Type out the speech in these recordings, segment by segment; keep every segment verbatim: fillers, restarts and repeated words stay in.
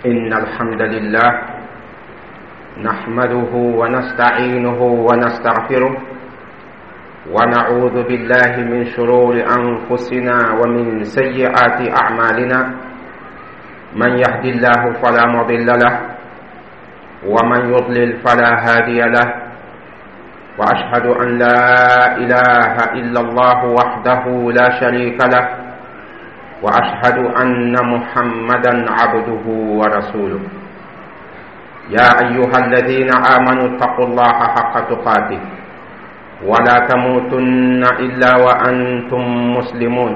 إن الحمد لله نحمده ونستعينه ونستغفره ونعوذ بالله من شرور أنفسنا ومن سيئات أعمالنا. من يهد الله فلا مضل له ومن يضلل فلا هادي له، وأشهد أن لا إله إلا الله وحده لا شريك له، وأشهد أن محمدا عبده ورسوله. يا أيها الذين آمنوا اتقوا الله حق تقاته ولا تموتن إلا وأنتم مسلمون.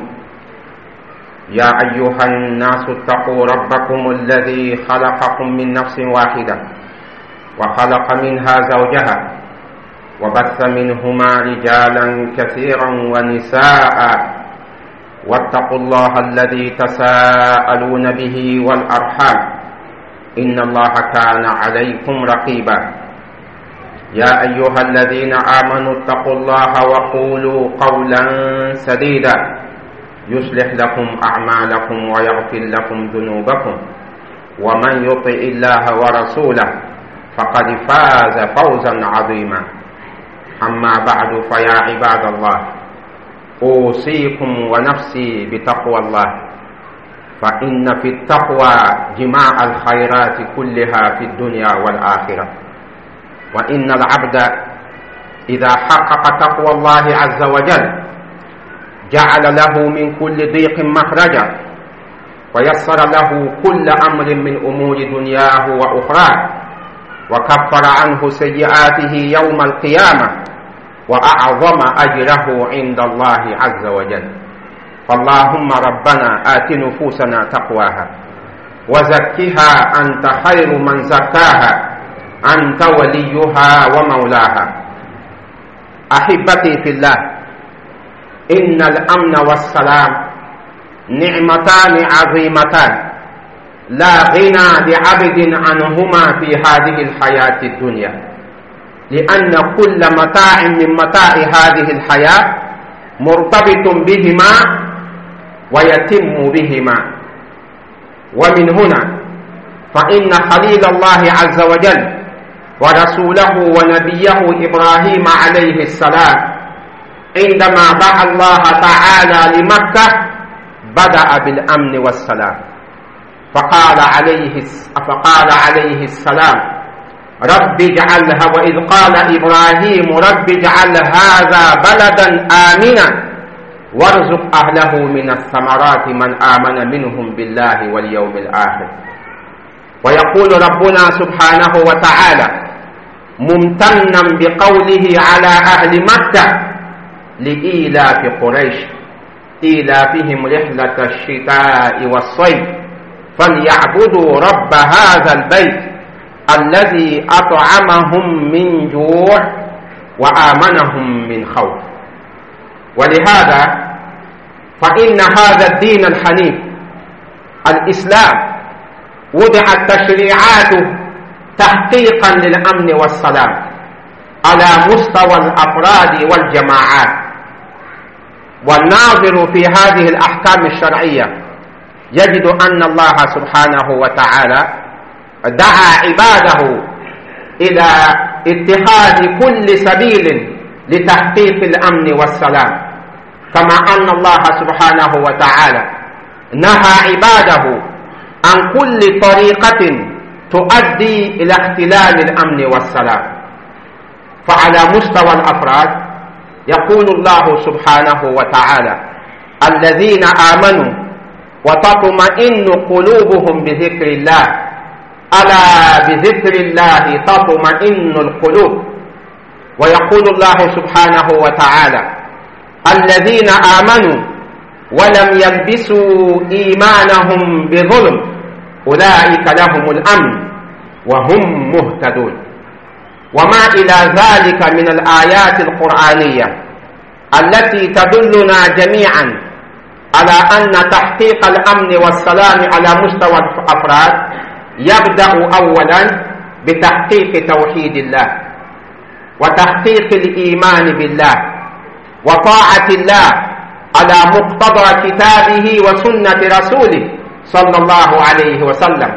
يا أيها الناس اتقوا ربكم الذي خلقكم من نفس واحدة وخلق منها زوجها وبث منهما رجالا كثيرا ونساء، واتقوا الله الذي تساءلون به والأرحام إن الله كان عليكم رقيبا. يا أيها الذين آمنوا اتقوا الله وقولوا قولا سديدا يصلح لكم أعمالكم ويغفر لكم ذنوبكم، ومن يطع الله ورسوله فقد فاز فوزا عظيما. أما بعد، فيا عباد الله، أوصيكم ونفسي بتقوى الله، فإن في التقوى جماع الخيرات كلها في الدنيا والآخرة. وإن العبد إذا حقق تقوى الله عز وجل جعل له من كل ضيق مخرجا، ويسر له كل أمر من أمور دنياه وأخراه، وكفر عنه سيئاته يوم القيامة، وأعظم أجره عند الله عز وجل. فاللهم ربنا آت نفوسنا تقواها وزكها أنت خير من زكاها، أنت وليها ومولاها. أحبتي في الله، إن الأمن والسلام نعمتان عظيمتان لا غنى لعبد عنهما في هذه الحياة الدنيا، لأن كل متاع من متاع هذه الحياة مرتبط بهما ويتم بهما. ومن هنا فإن خليل الله عز وجل ورسوله ونبيه إبراهيم عليه السلام عندما دعا الله تعالى لمكة بدأ بالأمن والسلام، فقال عليه فقال عليه السلام: رب اجعلها، وإذ قال إبراهيم رب اجعل هذا بلدا آمنا وارزق أهله من الثمرات من آمن منهم بالله واليوم الآخر. ويقول ربنا سبحانه وتعالى ممتنا بقوله على أهل مكة لإيلاف قريش إيلافهم رحلة الشتاء والصيف فليعبدوا رب هذا البيت الذي أطعمهم من جوع وآمنهم من خوف. ولهذا فإن هذا الدين الحنيف الإسلام وضعت تشريعاته تحقيقا للأمن والسلام على مستوى الأفراد والجماعات. والناظر في هذه الأحكام الشرعية يجد أن الله سبحانه وتعالى دعا عباده إلى اتخاذ كل سبيل لتحقيق الأمن والسلام، كما أن الله سبحانه وتعالى نهى عباده عن كل طريقة تؤدي إلى اختلال الأمن والسلام. فعلى مستوى الأفراد يقول الله سبحانه وتعالى: الذين آمنوا وتطمئن قلوبهم بذكر الله، ألا بذكر الله تطمئن القلوب. ويقول الله سبحانه وتعالى: الذين آمنوا ولم يلبسوا إيمانهم بظلم أولئك لهم الأمن وهم مهتدون. وما إلى ذلك من الآيات القرآنية التي تدلنا جميعا على أن تحقيق الأمن والسلام على مستوى الأفراد يبدأ أولا بتحقيق توحيد الله وتحقيق الإيمان بالله وطاعة الله على مقتضى كتابه وسنة رسوله صلى الله عليه وسلم.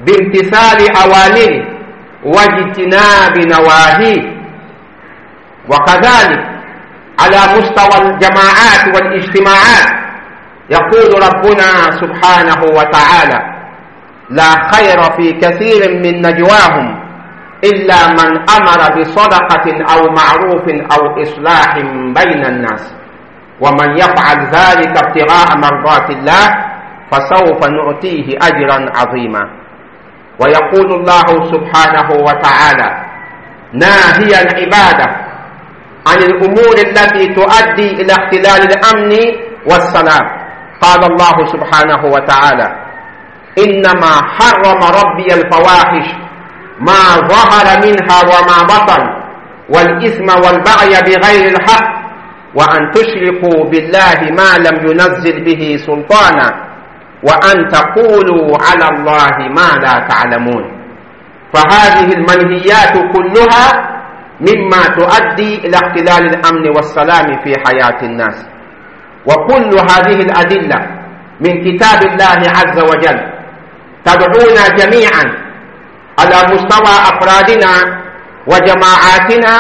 بامتثال أوامره واجتناب نواهيه. وكذلك على مستوى الجماعات والاجتماعات يقول ربنا سبحانه وتعالى: لا خير في كثير من نجواهم إلا من أمر بصدقة أو معروف أو إصلاح بين الناس، ومن يفعل ذلك ابتغاء مرضات الله فسوف نؤتيه أجرا عظيما. ويقول الله سبحانه وتعالى ناهيا عباده عن الأمور التي تؤدي إلى اختلال الأمن والسلام، قال الله سبحانه وتعالى: إنما حرم ربي الفواحش ما ظهر منها وما بطن والإثم والبغي بغير الحق وأن تشركوا بالله ما لم ينزل به سلطانا وأن تقولوا على الله ما لا تعلمون. فهذه المنهيات كلها مما تؤدي إلى اختلال الأمن والسلام في حياة الناس. وكل هذه الأدلة من كتاب الله عز وجل تدعونا جميعا على مستوى أفرادنا وجماعاتنا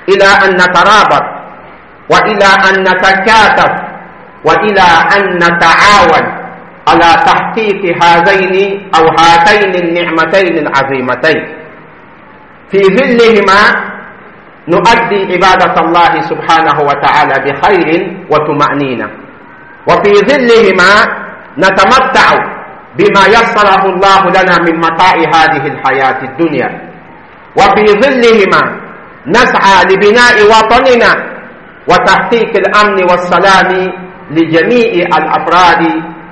إلى أن نترابط، وإلى أن نتكاتف، وإلى أن نتعاون على تحقيق هذين أو هاتين النعمتين العظيمتين. في ظلهما نؤدي عبادة الله سبحانه وتعالى بخير وطمأنينة، وفي ظلهما نتمتع بما يسره الله لنا من متاع هذه الحياة الدنيا، وفي ظلهما نسعى لبناء وطننا وتحقيق الأمن والسلام لجميع الأفراد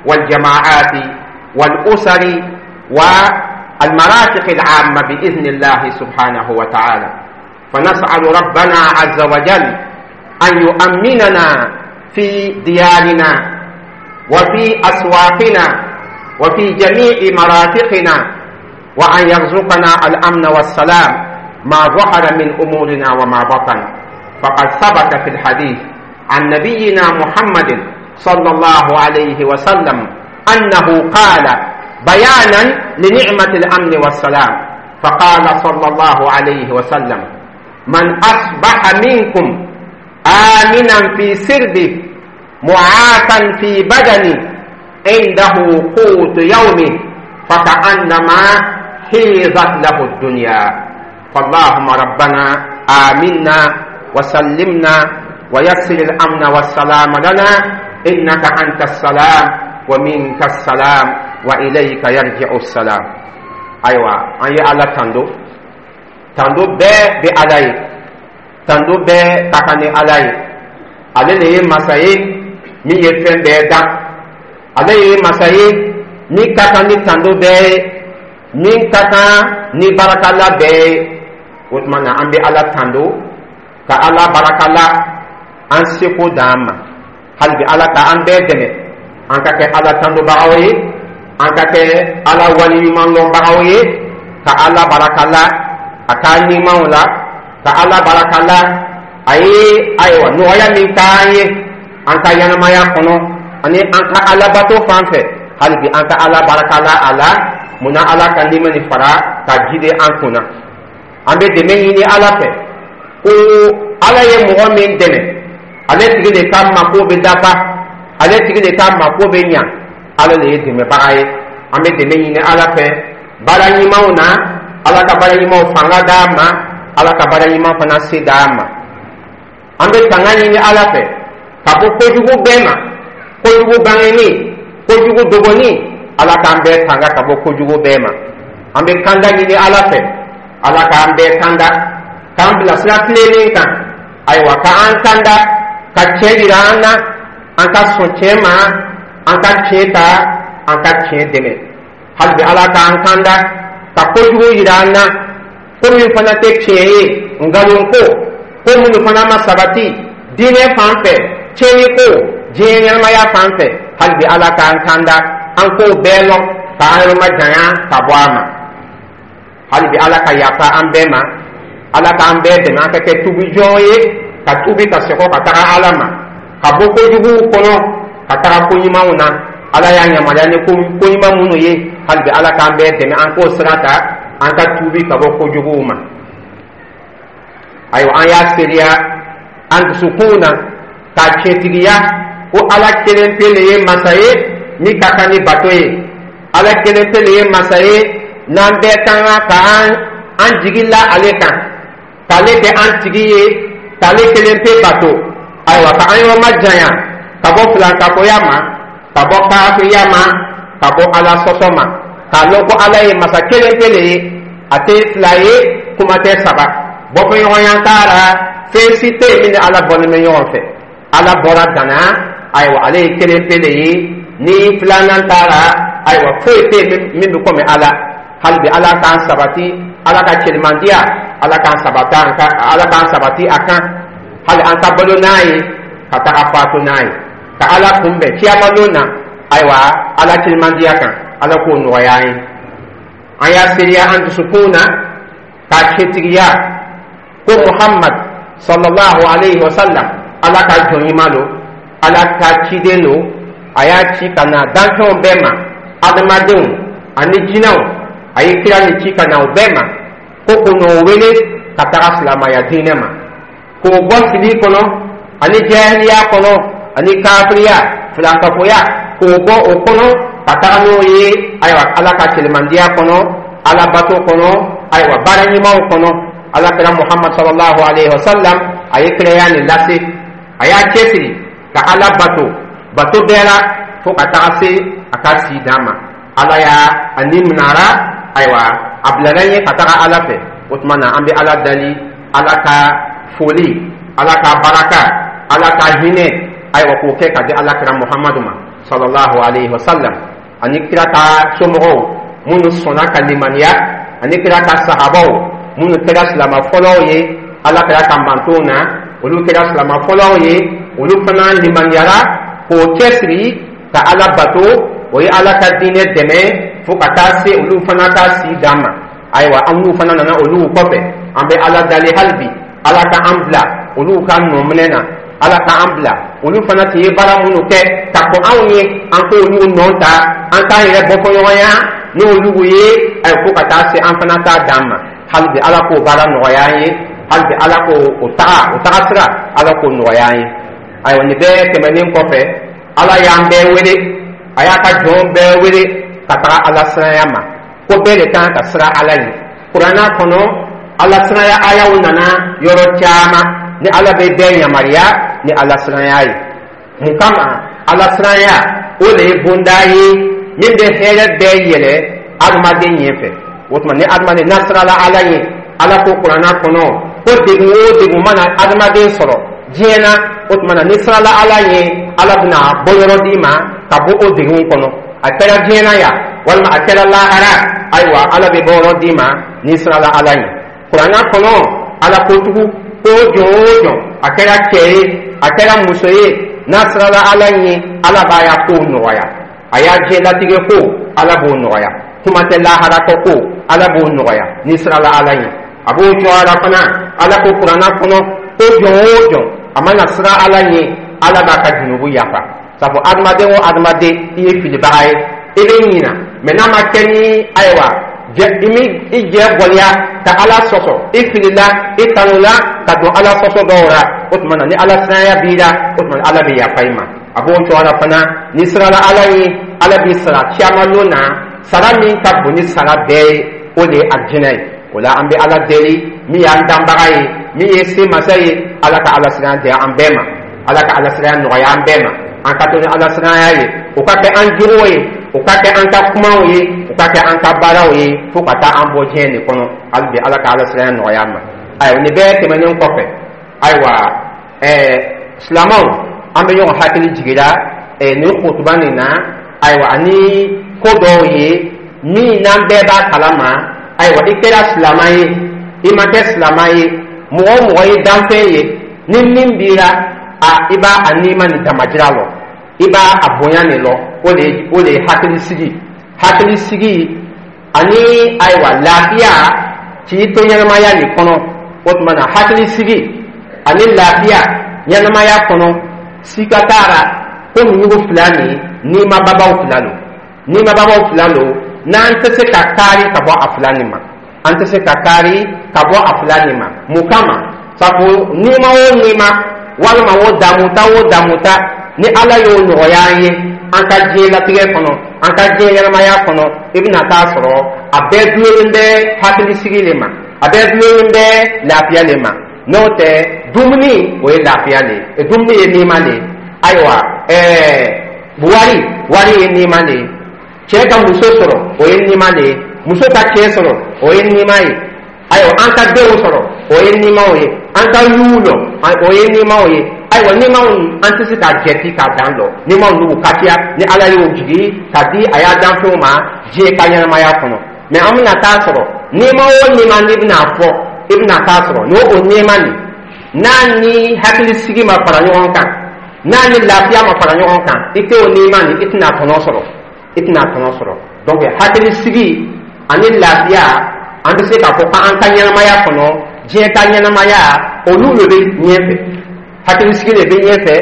والجماعات والأسر والمرافق العامة بإذن الله سبحانه وتعالى. فنسأل ربنا عز وجل أن يؤمننا في ديارنا وفي أسواقنا وفي جميع مرافقنا، وأن يرزقنا الأمن والسلام ما ظهر من أمورنا وما بطن. فقد ثبت في الحديث عن نبينا محمد صلى الله عليه وسلم أنه قال بيانا لنعمة الأمن والسلام، فقال صلى الله عليه وسلم: من أصبح منكم آمنا في سربه معافا في بدنه عنده قوت يومه فكأنما حيزت له الدنيا. فاللهم ربنا آمنا وسلمنا ويسر الأمن والسلام لنا، إنك أنت السلام ومنك السلام وإليك يرجع السلام. Ayiwa, an ye Ala tando, tando bɛɛ bɛ Ala ye, tando bɛɛ ka kan ni Ala ye. Ale de ye masa ye min ye fɛn bɛɛ dan, ale ye masa ye min ka kan ni tando bɛɛ ye, min ka kan ni barakala bɛɛ ye. O tuma na, an bɛ Ala tando ka Ala barakala an seko d'an ma. Hali bi, Ala ka an bɛɛ dɛmɛ an ka kɛ Ala tandobagaw ye, an ka kɛ Ala waliɲuman lɔnbagaw ye, ka Ala barakala a ka ɲumanw la, ka Ala barakala a ye ayiwa nɔgɔya min k'an ye an ka ɲɛnamaya kɔnɔ ani an ka alabato fan fɛ. Hali bi, an ka Ala barakala a la. Munna Ala ka nɛɛma nin fara ka jidi an kunna? An bɛ dɛmɛ ɲini Ala fɛ ko Ala ye mɔgɔ min dɛmɛ, ale tigi de ka mako bɛ dafa, ale tigi de ka mako bɛ ɲa. Ala de ye dɛmɛbaga ye. An bɛ dɛmɛ ɲini Ala fɛ baara ɲumanw na. Ala ka baara ɲumanw fanga d'an ma, Ala ka baara ɲuman fana se d'an ma. An bɛ tanga ɲini Ala fɛ ka bɔ kojugu bɛɛ ma, kojugu bangeni, kojugu dogoni. Ala k'an bɛɛ tanga ka bɔ kojugu bɛɛ ma. An bɛ kanda ɲini Ala fɛ, Ala k'an bɛɛ kanda, k'an bila sira tilennen kan. Ayiwa, k'an kanda ka tiɲɛ yira an na, an ka sɔn tiɲɛ ma, an ka tiɲɛ ta, an ka tiɲɛ dɛmɛ. Hali bi, Ala k'an kanda ka kojugu yira an na, ko min fana tɛ tiɲɛ ye, nkalon ko, ko minnu fana ma sabati diinɛ fan fɛ, tiɲɛni ko diɲɛ ɲɛnamaya fan fɛ. Hali bi, Ala k'an kanda an k'o bɛɛ lɔn, k'an yɔrɔ ma janya ka bɔ a ma. Hali bi, Ala ka yafa an bɛɛ ma, Ala k'an bɛɛ dɛmɛ an ka kɛ tubi jɔn ye, ka tubi ka segin ka taga Ala ma, ka bɔ kojuguw kɔnɔ ka taga ko ɲumanw na. Ala y'a yamaruya ni ko ɲuman minnu ye, Hali bi, Ala k'an bɛɛ dɛmɛ an k'o sira ta, an ka tuubi ka bɔ kojuguw ma. Ayiwa, an y'a seereya an dusukun na k'a tiɲɛtigiya ko Ala kelen pe le ye masa ye min ka kan ni bato ye. Ala kelen pe le ye masa ye n'an bɛɛ ka kan ka an an jigi la ale kan, k'ale kɛ an tigi ye, k'ale kelen pe bato. Ayiwa, ka an yɔrɔ ma janya ka bɔ filankafoya ma, ka bɔ kafiriya ma, ka bɔ Ala sɔsɔ ma, k'a lɔn ko Ala ye masa kelen pe le ye, a tɛ fila ye, kuma tɛ saba, bɔfɔɲɔgɔnya t'a la, fɛn si tɛ yen min ni Ala bɔlen bɛ ɲɔgɔn fɛ. Ala bɔra dana. Ayiwa, ale ye kelen pe le ye, ni filanan t'a la. Ayiwa, foyi tɛ yen min bɛ komi Ala. Hali bi, Ala k'an sabati Ala ka cɛlimandiya, Ala k'an sabati an ka, Ala k'an sabati a kan hali an ka balo n'a ye, ka taga faatu n'a ye, ka Ala kunbɛn kiyamalon na. Ayiwa, Ala cɛlimandiya kan, Ala k'o nɔgɔya an ye. An y'a seereya an dusukun na k'a cɛtigiya ko Muhammad sallallahu alayhi wa sallam, Ala ka jɔn ɲuman lo, Ala ka ciden lo. A y'a ci ka na danfɛnw bɛɛ ma, adamadenw ani jinɛw. A ye kira ni ci ka na o bɛɛ ma ko k'o n'o wele ka taga silamaya diinɛ ma, k'o bɔ fili kɔnɔ ani jahiliya kɔnɔ ani kafiriya, filankafoya, k'o bɔ o kɔnɔ ka taga n'o ye, ayiwa, Ala ka kelemandiya kɔnɔ, Ala bato kɔnɔ, ayiwa, baara ɲumanw kɔnɔ. Ala kira Muhammad sallallahu alaihi wa sallam, a ye kiraya nin lase, a y'a cɛsiri ka Ala bato bato bɛɛ la fo ka taga se a ka si dan ma. Ala y'a a ni minara. Ayiwa, a bilala ɲɛ ka taga Ala fɛ. O tuma na, an bɛ Ala dali, Ala ka foli, Ala ka baraka, Ala ka hinɛ, ayiwa, k'o kɛ ka di Ala kira Muhammadu ma sallallahu alaihi wa sallam, ani kira ka somɔgɔw minnu sɔnna ka limaniya, ani kira ka sahabaw minnu kɛra silama fɔlɔw ye Ala kira ka mantonw na. Olu kɛra silama fɔlɔw ye, olu fana limaniyara k'o cɛsiri ka Ala bato, o ye Ala ka diinɛ dɛmɛ fo ka taa se olu fana ka si dan ma. Ayiwa, an n'u fana nana olu kɔfɛ. An bɛ Ala dali hali bi, Ala ka an bila olu ka nɔminɛ na, Ala ka an bila olu fana tun ye baara minnu kɛ ka kɔn anw ye, an k'olu nɔ ta, an k'an yɛrɛ bɔ fɔɲɔgɔnya n'olu ye, ayiwa, fo ka taa se an fana t'a dan ma. Hali bi, Ala k'o baara nɔgɔya an ye. Hali bi, Ala k'o o taga o taga sira, Ala k'o nɔgɔya an ye. Ayiwa, nin bɛɛ tɛmɛnen kɔfɛ, Ala y'an bɛɛ wele, a y'a ka jɔn bɛɛ wele ka taga Ala siranya ma, ko bɛɛ de kan ka siran Ala ye. Kuranna kɔnɔ, Ala siranya ayaw nana yɔrɔ caman ni Ala bɛ bɛɛ yamaruya ni Ala siranya ye. Mun kama? Ala siranya, o de ye bonda ye min bɛ hɛrɛ bɛɛ yɛlɛ adamaden ɲɛfɛ. O tuma, ni adamaden n'a sirala Ala ye, Ala ko kuranna kɔnɔ ko degun o degun mana adamaden sɔrɔ diɲɛ na, o tuma na, ni sirala Ala ye, Ala bɛna bɔyɔrɔ d'i ma ka bɔ o degun kɔnɔ. A kɛra diɲɛ na yan walima a kɛra lahara, ayiwa, Ala bɛ bɔyɔrɔ d'i ma n'i sirala Ala ye. Kuranna kɔnɔ, Ala ko tugun ko jɔn o jɔn, a kɛra cɛ ye, a kɛra muso ye, n'a sirala Ala ye, Ala b'a ya kow nɔgɔya. A y'a diɲɛlatigɛ ko, Ala b'o nɔgɔya, kuma tɛ laharatɔ ko, Ala b'o nɔgɔya n'i sirala Ala ye. A b'o cogoya la fana, Ala ko kuranna kɔnɔ ko jɔn o jɔn a mana siran Ala ye, Ala b'a ka junubu yafa. Sabu adamaden o adamaden, i ye filibaga ye, i bɛ ɲina mɛ n'a ma kɛ ni, ayiwa, i mi i jɛ gɔliya ka Ala sɔsɔ, i filila, i tanula ka don Ala sɔsɔ dɔw la. O tuma na, ni Ala siranya b'i la, o tuma na, Ala bɛ yafa i ma. A b'o cogoya la fana, n'i sirala Ala ye, Ala b'i sara caman lon na, sara min ka bon ni sara bɛɛ ye, o de ye alijinɛ ye. O la, an bɛ Ala deli min y'an danbaga ye, min ye se masa ye, Ala ka Ala siranya di an bɛɛ ma, Ala ka Ala siranya nɔgɔya an bɛɛ ma, an ka to ni Ala siranya ye, o ka kɛ an jogo ye, o ka kɛ an ka kumaw ye, o ka kɛ an ka baaraw ye, fo ka taa an bɔ diɲɛ nin kɔnɔ. Hali bi, Ala ka Ala siranya nɔgɔya an ma. Ayiwa, nin bɛɛ tɛmɛnen kɔfɛ, ayiwa, ɛɛ silamɛw, an bɛ ɲɔgɔn hakili jiginna ɛɛ nin kutuba nin na, ayiwa, ani ko dɔw ye min n'an bɛɛ b'a kalama. Ayiwa, i kɛra silama ye, i ma kɛ silama ye, mɔgɔ o mɔgɔ ye danfɛn ye, ni min b'i la, a i b'a a nima nin damajira lɔ, i b'a a bonya nin lɔ. O de ye o de ye hakilisigi hakilisigi ani, ayiwa, lafiya k'i to ɲɛnamaya nin kɔnɔ. O tuma na, hakilisigi ani lafiya ɲɛnamaya kɔnɔ, sika t'a la ko nugu fila nin, nima babaw fila lo, nima babaw fila lo. N'an tɛ se ka kaari ka bɔ a fila nin ma, an tɛ se ka kaari ka bɔ a fila nin ma. Mun kama? Sabu nima o nima, walima o damuta o damuta, ni Ala y'o nɔgɔya an ye an ka diɲɛlatigɛ kɔnɔ, an ka diɲɛ ɲɛnamaya kɔnɔ, i bɛna taa sɔrɔ a bɛɛ dulonnen bɛ hakilisigi le ma, a bɛɛ dulonnen bɛ lafiya le ma. N'o tɛ, dumuni, o ye lafiya le ye, dumuni ye nima le ye. Ayiwa, ɛɛ wari wari ye nima le ye. Cɛ ka muso sɔrɔ, o ye nima le ye. Muso ka cɛ sɔrɔ, o ye nima ye. Ayiwa, an ka denw sɔrɔ, o ye nimaw ye. An ka yuw lɔ, o ye nimaw ye. Ayiwa, nimaw, an tɛ se k'a jɛti k'a dan lɔ. Nimaw n'u ka ca ni Ala y'o jigi ka di a y'a danfɛnw ma diɲɛ ka ɲɛnamaya kɔnɔ. Mɛ an bɛna taa sɔrɔ, nima o nima n'i bɛna fɔ, i bɛna taa sɔrɔ n'o o nima nin, n'a ni hakilisigi ma fara ɲɔgɔn kan, n'a ni lafiya ma fara ɲɔgɔn kan, i tɛ o nima nin, i tɛna tɔnɔ sɔrɔ, i tɛna tɔnɔ sɔrɔ. Donc hakilisigi ani lafiya, an bɛ se k'a fɔ k'an ka ɲɛnamaya kɔnɔ, diɲɛ ka ɲɛnamaya, olu de bɛ ɲɛfɛ. Hakilisigi de bɛ ɲɛfɛ,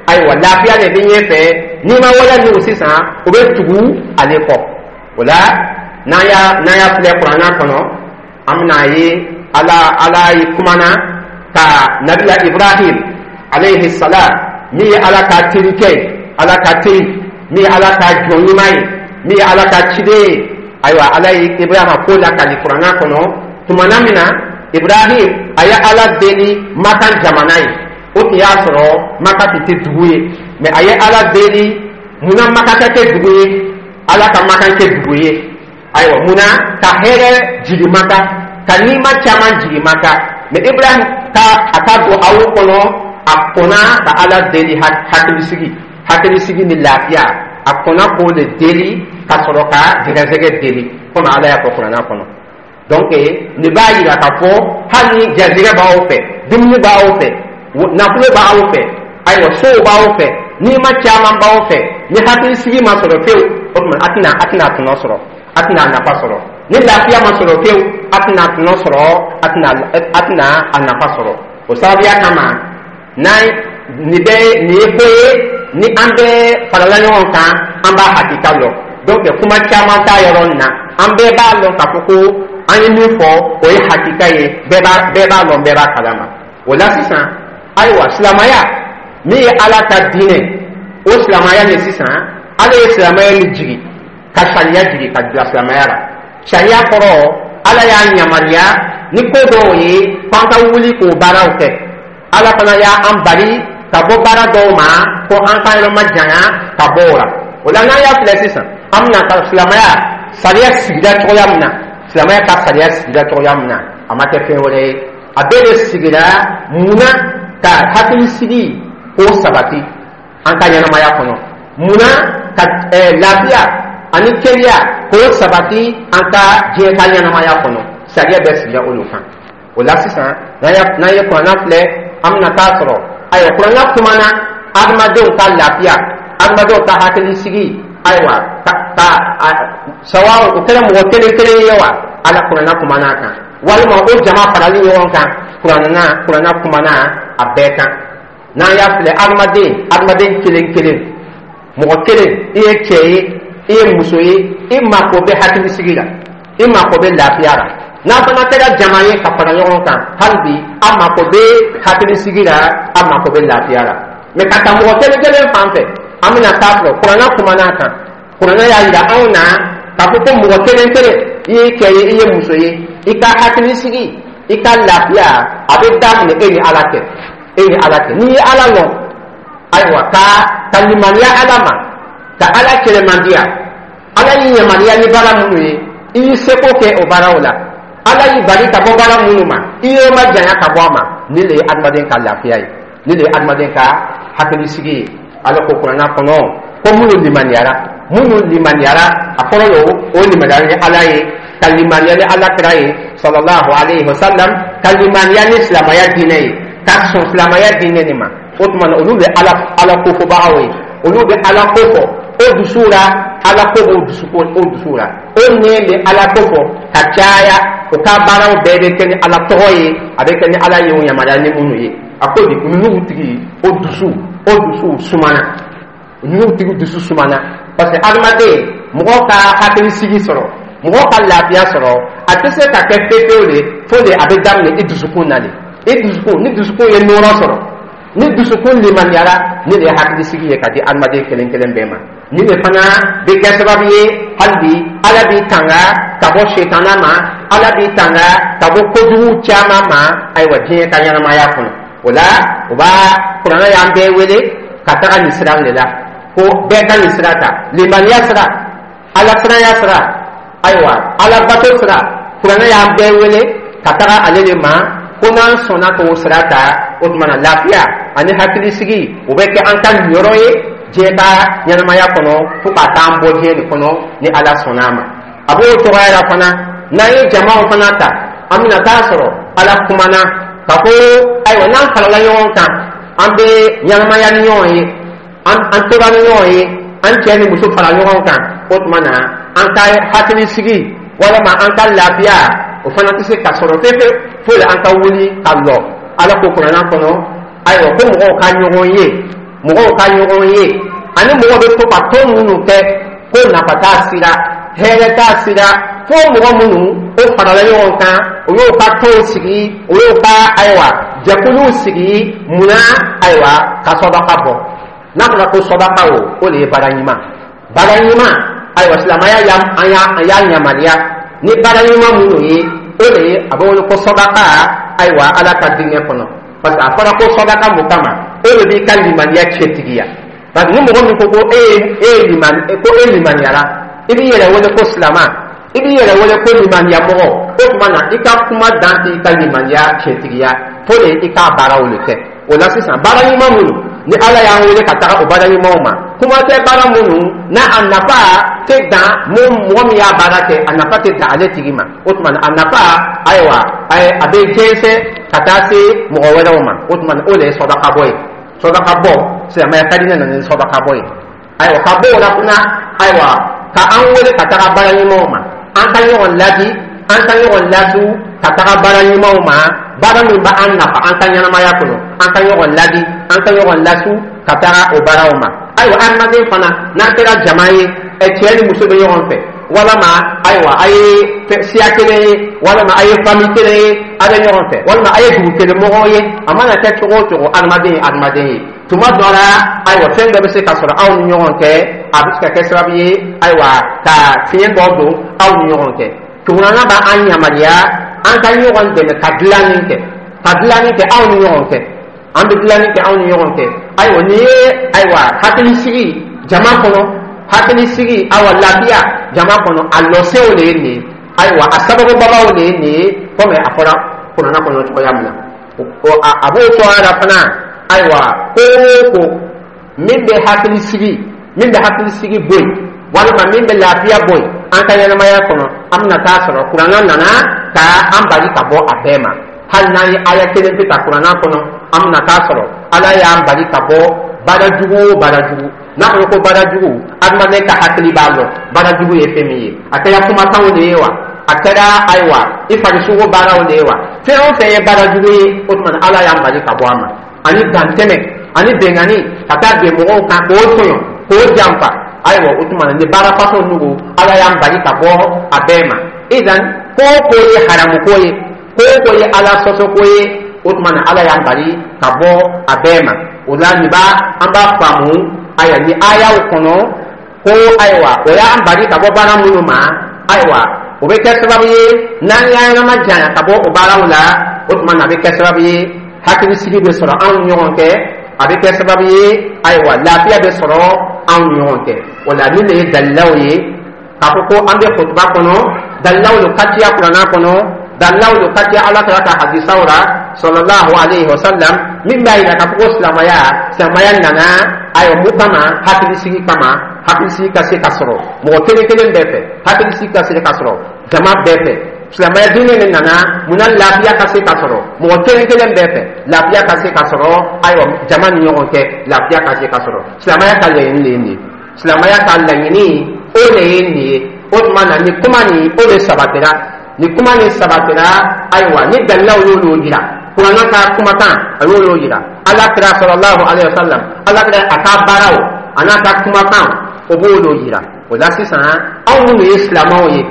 ayiwa, lafiya de bɛ ɲɛfɛ. N'i ma waleya n'o sisan, o bɛ tugu ale kɔ. O la, n'an y'a n'an y'a filɛ kuranna kɔnɔ, an bɛna ye ala ala ye kumana ka nabila Ibrahim alayhi salam, min ye Ala ka terikɛ ye, Ala ka teri, min ye Ala ka jɔn ɲuman ye, min ye Ala ka ciden ye. Ayiwa, Ala ye Ibrahima ko lakali kuranna kɔnɔ. Tumana min na Ibrahim a ye Ala deli Makan jamana ye, o tun y'a sɔrɔ Maka tun tɛ dugu ye, mɛ a ye Ala deli munna Maka ka kɛ dugu ye, Ala ka Makan kɛ dugu ye. Ayiwa, munna ka hɛrɛ jigi Maka, ka nima caman jigi Maka. Mɛ Ibrahim ka a ka don aw kɔnɔ, a kɔnna ka Ala deli hakilisigi hakilisigi ni lafiya. A kɔnna k'o de deli ka sɔrɔ ka gɛrɛsɛgɛ deli, komi Ala y'a fɔ kuranna kɔnɔ. Donc nin b'a yira k'a fɔ hali ni garijɛgɛ b'aw fɛ, dumuni b'aw fɛ, nafolo b'aw fɛ, ayiwa, sow b'aw fɛ, nima caman b'aw fɛ, ni hakilisigi ma sɔrɔ fewu, o tuma a tɛna a tɛna tɔnɔ sɔrɔ, a tɛna a nafa sɔrɔ. Ni lafiya ma sɔrɔ fewu, a tɛna tɔnɔ sɔrɔ, a tɛna a tɛna a nafa sɔrɔ. O sababuya kama, n'an nin bɛ nin ye ko ye ni an bɛ farala ɲɔgɔn kan, an b'a hakika lɔn. Donc kuma caman t'a yɔrɔ nin na. An bɛɛ b'a lɔn k'a fɔ ko an ye min fɔ, o ye hakika ye. bɛɛ b'a bɛɛ b'a lɔn, bɛɛ b'a kalama. O la sisan, ayiwa, silamɛya min ye Ala ka diinɛ, o silamɛya nin sisan, Ala ye silamɛya min jigi, ka sariya jigi ka bila silamɛya la. Sariya kɔrɔ, Ala y'a yamaruya ni ko dɔw ye k'an ka wuli k'o baaraw kɛ. Ala fana y'an bali ka bɔ baara dɔw ma, ko an ka yɔrɔ ma janya ka bɔ o la. O la, n'an y'a filɛ sisan, an bɛna ka silamɛya sariya sigira cogoya min na, silamɛya ka sariya sigira cogoya min na, a ma kɛ fɛn wɛrɛ ye, a bɛɛ de sigira munna? Ka hakilisigi k'o sabati an ka ɲɛnamaya kɔnɔ. Munna? Ka ɛɛ lafiya ani kɛnɛya k'o sabati an ka diɲɛ ka ɲɛnamaya kɔnɔ. Sariya bɛɛ sigira olu kan. O la sisan, n'an ye kuranna filɛ, an bɛna taa sɔrɔ, ayiwa, kuranna kumana adamadenw ka lafiya, adamadenw ka hakilisigi. Ayiwa, ka ka sawa, o kɛra mɔgɔ kelen kelen ye wa, Ala kuranna kumana a kan, walima o jama farali ɲɔgɔn kan, kuranna kuranna kumana a bɛɛ kan. N'an y'a filɛ, adamaden adamaden kelen kelen, mɔgɔ kelen, i ye cɛ ye, i ye muso ye, i mako bɛ hakilisigi la, i mako bɛ lafiya la. N'a fana kɛra jama ye ka fara ɲɔgɔn kan, hali bi a mako bɛ hakilisigi la, a mako bɛ lafiya la. Mɛ ka taa mɔgɔ kelen kelen fan fɛ, an bɛna taa sɔrɔ kuranna kumana a kan. Kuranna y'a yira anw na k'a fɔ ko mɔgɔ kelen kelen, i ye cɛ ye, i ye muso ye, i ka hakilisigi, i ka lafiya, a bɛ daminɛ e ni Ala cɛ, e ni Ala cɛ. N'i ye Ala lɔn, ayiwa, ka ka limaniya Ala ma, ka Ala kɛlɛmandiya, Ala y'i yamaruya ni baara minnu ye, i y'i seko kɛ o baaraw la, Ala y'i bali ka bɔ baara minnu ma, i y'i ma janya ka bɔ a ma, nin de ye adamaden ka lafiya ye, nin de ye adamaden ka hakilisigi ye. Ala ko kuranna kɔnɔ ko minnu limaniyara minnu limaniyara a kɔrɔ ye o limaniyara ni Ala ye, ka limaniya ni Ala kira ye sallallahu alayhi wa sallam, ka limaniya ni silamɛya diinɛ ye, ka sɔn silamɛya diinɛ nin ma. O tuma na, olu bɛ ala ala kofɔbagaw ye, olu bɛ Ala ko fɔ o dusu la, Ala ko b'o dusu o dusu la, o nɛn bɛ Ala ko fɔ ka caya, o ka baaraw bɛɛ bɛ kɛ ni Ala tɔgɔ ye, a bɛ kɛ ni Ala ye o yamaruya ni minnu ye. A ko di ninnu tigi, o dusu o dusu sumana, ninnu tigi dusu sumana. Parce que adamaden, mɔgɔ ka hakilisigi sɔrɔ, mɔgɔ ka lafiya sɔrɔ, a tɛ se ka kɛ pepewu de fo de a bɛ daminɛ i dusukun na de. I dusukun, ni dusukun ye nɔrɔ sɔrɔ, ni dusukun limaniyara, ni de ye hakilisigi ye ka di adamaden kelen kelen bɛɛ ma. Ni de fana bɛ kɛ sababu ye, hali bi Ala b'i tanga ka bɔ setana ma, Ala b'i tanga ka bɔ kojugu caman ma. Ayiwa, diɲɛ ka ɲɛnamaya kɔnɔ, o la o b'a kuranɛ y'an bɛɛ wele ka taga nin sira de la, ko bɛɛ ka nin sira ta, limaniya sira, Ala siranya sira, ayiwa, Ala bato sira. Kuranɛ y'an bɛɛ wele ka taga ale de ma, ko n'an sɔnna k'o sira ta, o tuma na lafiya ani hakilisigi, o bɛ kɛ an ka niyɔrɔ ye diɲɛ ka ɲɛnamaya kɔnɔ, fo ka taa an bɔ diɲɛ nin kɔnɔ, ni Ala sɔnna a ma. A b'o cogoya la fana, n'an ye jamaw fana ta, an bɛna taa sɔrɔ Ala kumana ka ko ayiwa, n'an farala ɲɔgɔn kan, an bɛ ɲɛnamaya ni ɲɔgɔn ye, an an tora ni ɲɔgɔn ye, an cɛ ni muso fara ɲɔgɔn kan, o tuma na an ka hakilisigi walima an ka lafiya, o fana tɛ se ka sɔrɔ fefe fo an ka wuli ka lɔ. Ala ko kuranna kɔnɔ, ayiwa, ko mɔgɔw ka ɲɔgɔn ye, mɔgɔw ka ɲɔgɔn ye, ani mɔgɔ bɛ to ka tɔn minnu kɛ, ko nafa t'a sira, hɛrɛ t'a sira, fo mɔgɔ minnu o farala ɲɔgɔn kan, o y'o ka tɔnw sigi, o y'o ka ayiwa jɛkuluw sigi. Munna? Ayiwa, ka sɔdaka bɔ. N'a fɔra ko sɔdaka, o o de ye baara ɲuman, baara ɲuman. Ayiwa, silamɛya y'a an y'a an y'a yamaruya ni baara ɲuman minnu ye, o de ye a bɛ wele ko sɔdaka. Ayiwa, Ala ka diinɛ kɔnɔ, parce que a fɔra ko sɔdaka mun kama? O de b'i ka limaniya cɛtigiya. Parce que ni mɔgɔ min ko ko e ye e ye limani, ko e limaniyara, i b'i yɛrɛ wele ko silama, i b'i yɛrɛ wele ko limaniya mɔgɔ, o tuma na i ka kuma dan t'i ka limaniya cɛtigiya, fo de i k'a baaraw de kɛ. O la sisan, baara ɲuman minnu ni Ala y'an wele ka taga o baara ɲumanw ma, kuma tɛ baara minnu n'a a nafa tɛ dan mun, mɔgɔ min y'a baara kɛ, a nafa tɛ dan ale tigi ma, o tuma na a nafa, ayiwa, a bɛ jɛnsɛn ka taa se mɔgɔ wɛrɛw ma. O tuma na o de ye sɔdaka bɔ ye. Sɔdaka bɔ, silamɛya ka di ne nana ni sɔdaka bɔ ye. Ayiwa, ka bɔ o la fana, ayiwa, ka an wele ka taga baara ɲumanw ma, an ka ɲɔgɔn ladi, an ka ɲɔgɔn lasu ka taga baara ɲumanw ma, baara min b'an nafa an ka ɲɛnamaya kɔnɔ, an ka ɲɔgɔn ladi, an ka ɲɔgɔn lasu ka taga o baaraw ma. Ayiwa, adamaden fana, n'an kɛra jama ye, ɛ cɛ ni muso bɛ ɲɔgɔn fɛ, walama ayiwa, a ye siya kelen ye, walama a ye famille kelen ye, a bɛ ɲɔgɔn fɛ, walima a ye dugu kelen mɔgɔw ye, a mana kɛ cogo o cogo, adamaden ye adamaden ye. Tuma dɔ la, ayiwa, fɛn dɔ bɛ se ka sɔrɔ aw ni ɲɔgɔn cɛ, a bɛ se ka kɛ sababu ye, ayiwa, ka fiɲɛ dɔ don aw ni ɲɔgɔn cɛ. Kuranna b'an yamaruya an ka ɲɔgɔn dɛmɛ ka dilanni kɛ, ka dilanni kɛ aw ni ɲɔgɔn cɛ. An bɛ dilanni kɛ aw ni ɲɔgɔn cɛ. Ayiwa, nin ye ayiwa hakilisigi jama kɔnɔ, hakilisigi, awa, lafiya jama kɔnɔ, a lɔsew de ye nin ye. Ayiwa, a sababubabaw de ye nin ye, komi a fɔra kuranna kɔnɔ cogoya min na, a b'o cogoya la fana. Ayiwa, ko o ko min bɛ hakilisigi, min bɛ hakilisigi bɔ yen, walima min bɛ lafiya bɔ yen an ka ɲɛnamaya kɔnɔ, an bɛna taa sɔrɔ kuranna nana ka an bali ka bɔ a bɛɛ ma. Hali n'an ye aya kelen pe ta kuranna kɔnɔ, an bɛna taa sɔrɔ Ala y'an bali ka bɔ baara jugu o baara jugu. N'a fɔra ko baara jugu, adamaden ka hakili b'a lɔn baara jugu ye fɛn min ye. A kɛra kumakanw de ye wa, a kɛra ayiwa i farisogo baaraw de ye wa, fɛn o fɛn ye baara jugu ye, o tuma na Ala y'an bali ka bɔ a ma. Ani dantɛmɛ ani bɛnkanni, ka taa bin mɔgɔw kan k'o tɔɲɔ, k'o janfa, ayiwa, o tuma na ni baara fasɔn nugu, Ala y'an bali ka bɔ a bɛɛ ma. Idan, ko o ko ye haramu ko ye, ko o ko ye Ala sɔsɔ ko ye, o tuma na Ala y'an bali ka bɔ a bɛɛ ma. O la nin b'a an b'a faamu, ayiwa, ni ayaw kɔnɔ ko ayiwa, o y'an bali ka bɔ baara minnu ma, ayiwa, o bɛ kɛ sababu ye n'an y'an ɲɛnama janya ka bɔ o baaraw la, o tuma na a bɛ kɛ sababu ye hakilisigi bɛ sɔrɔ anw ni ɲɔgɔn cɛ, a bɛ kɛ sababu ye, ayiwa, lafiya bɛ sɔrɔ anw ni ɲɔgɔn cɛ. O la nin de ye dalilaw ye k'a fɔ ko an bɛ kutuba kɔnɔ. Dalilaw lo ka ciya kuranna kɔnɔ, dalilaw lo ka ciya Ala kɛra ka hadisaw la sallallahu alayhi wa sallam, min b'a yira k'a fɔ ko silamɛya silamɛya nana, ayiwa, mun kama? Hakilisigi kama. Hakilisigi ka se ka sɔrɔ mɔgɔ kelen kelen bɛɛ fɛ, hakilisigi ka se ka sɔrɔ jama bɛɛ fɛ. Silamɛya diinɛ de nana munna? Lafiya ka se ka sɔrɔ mɔgɔ kelen kelen bɛɛ fɛ, lafiya ka se ka sɔrɔ, ayiwa, jama ni ɲɔgɔn cɛ, lafiya ka se ka sɔrɔ. Silamɛya ka laɲini de ye nin ye. Silamɛya ka laɲini, o de ye nin ye. O tuma na ni kuma nin, o de sabatira, ni kuma nin sabatira. Ayiwa, ni dalilaw y'olu jira, kuranna ka kumakan, a y'olu jira, Ala kira sallallahu alaihi wa sallam, Ala kira a ka baaraw a n'a ka kumakan. O b'o de yira. O la sisan, anw minnu ye silamɛw ye,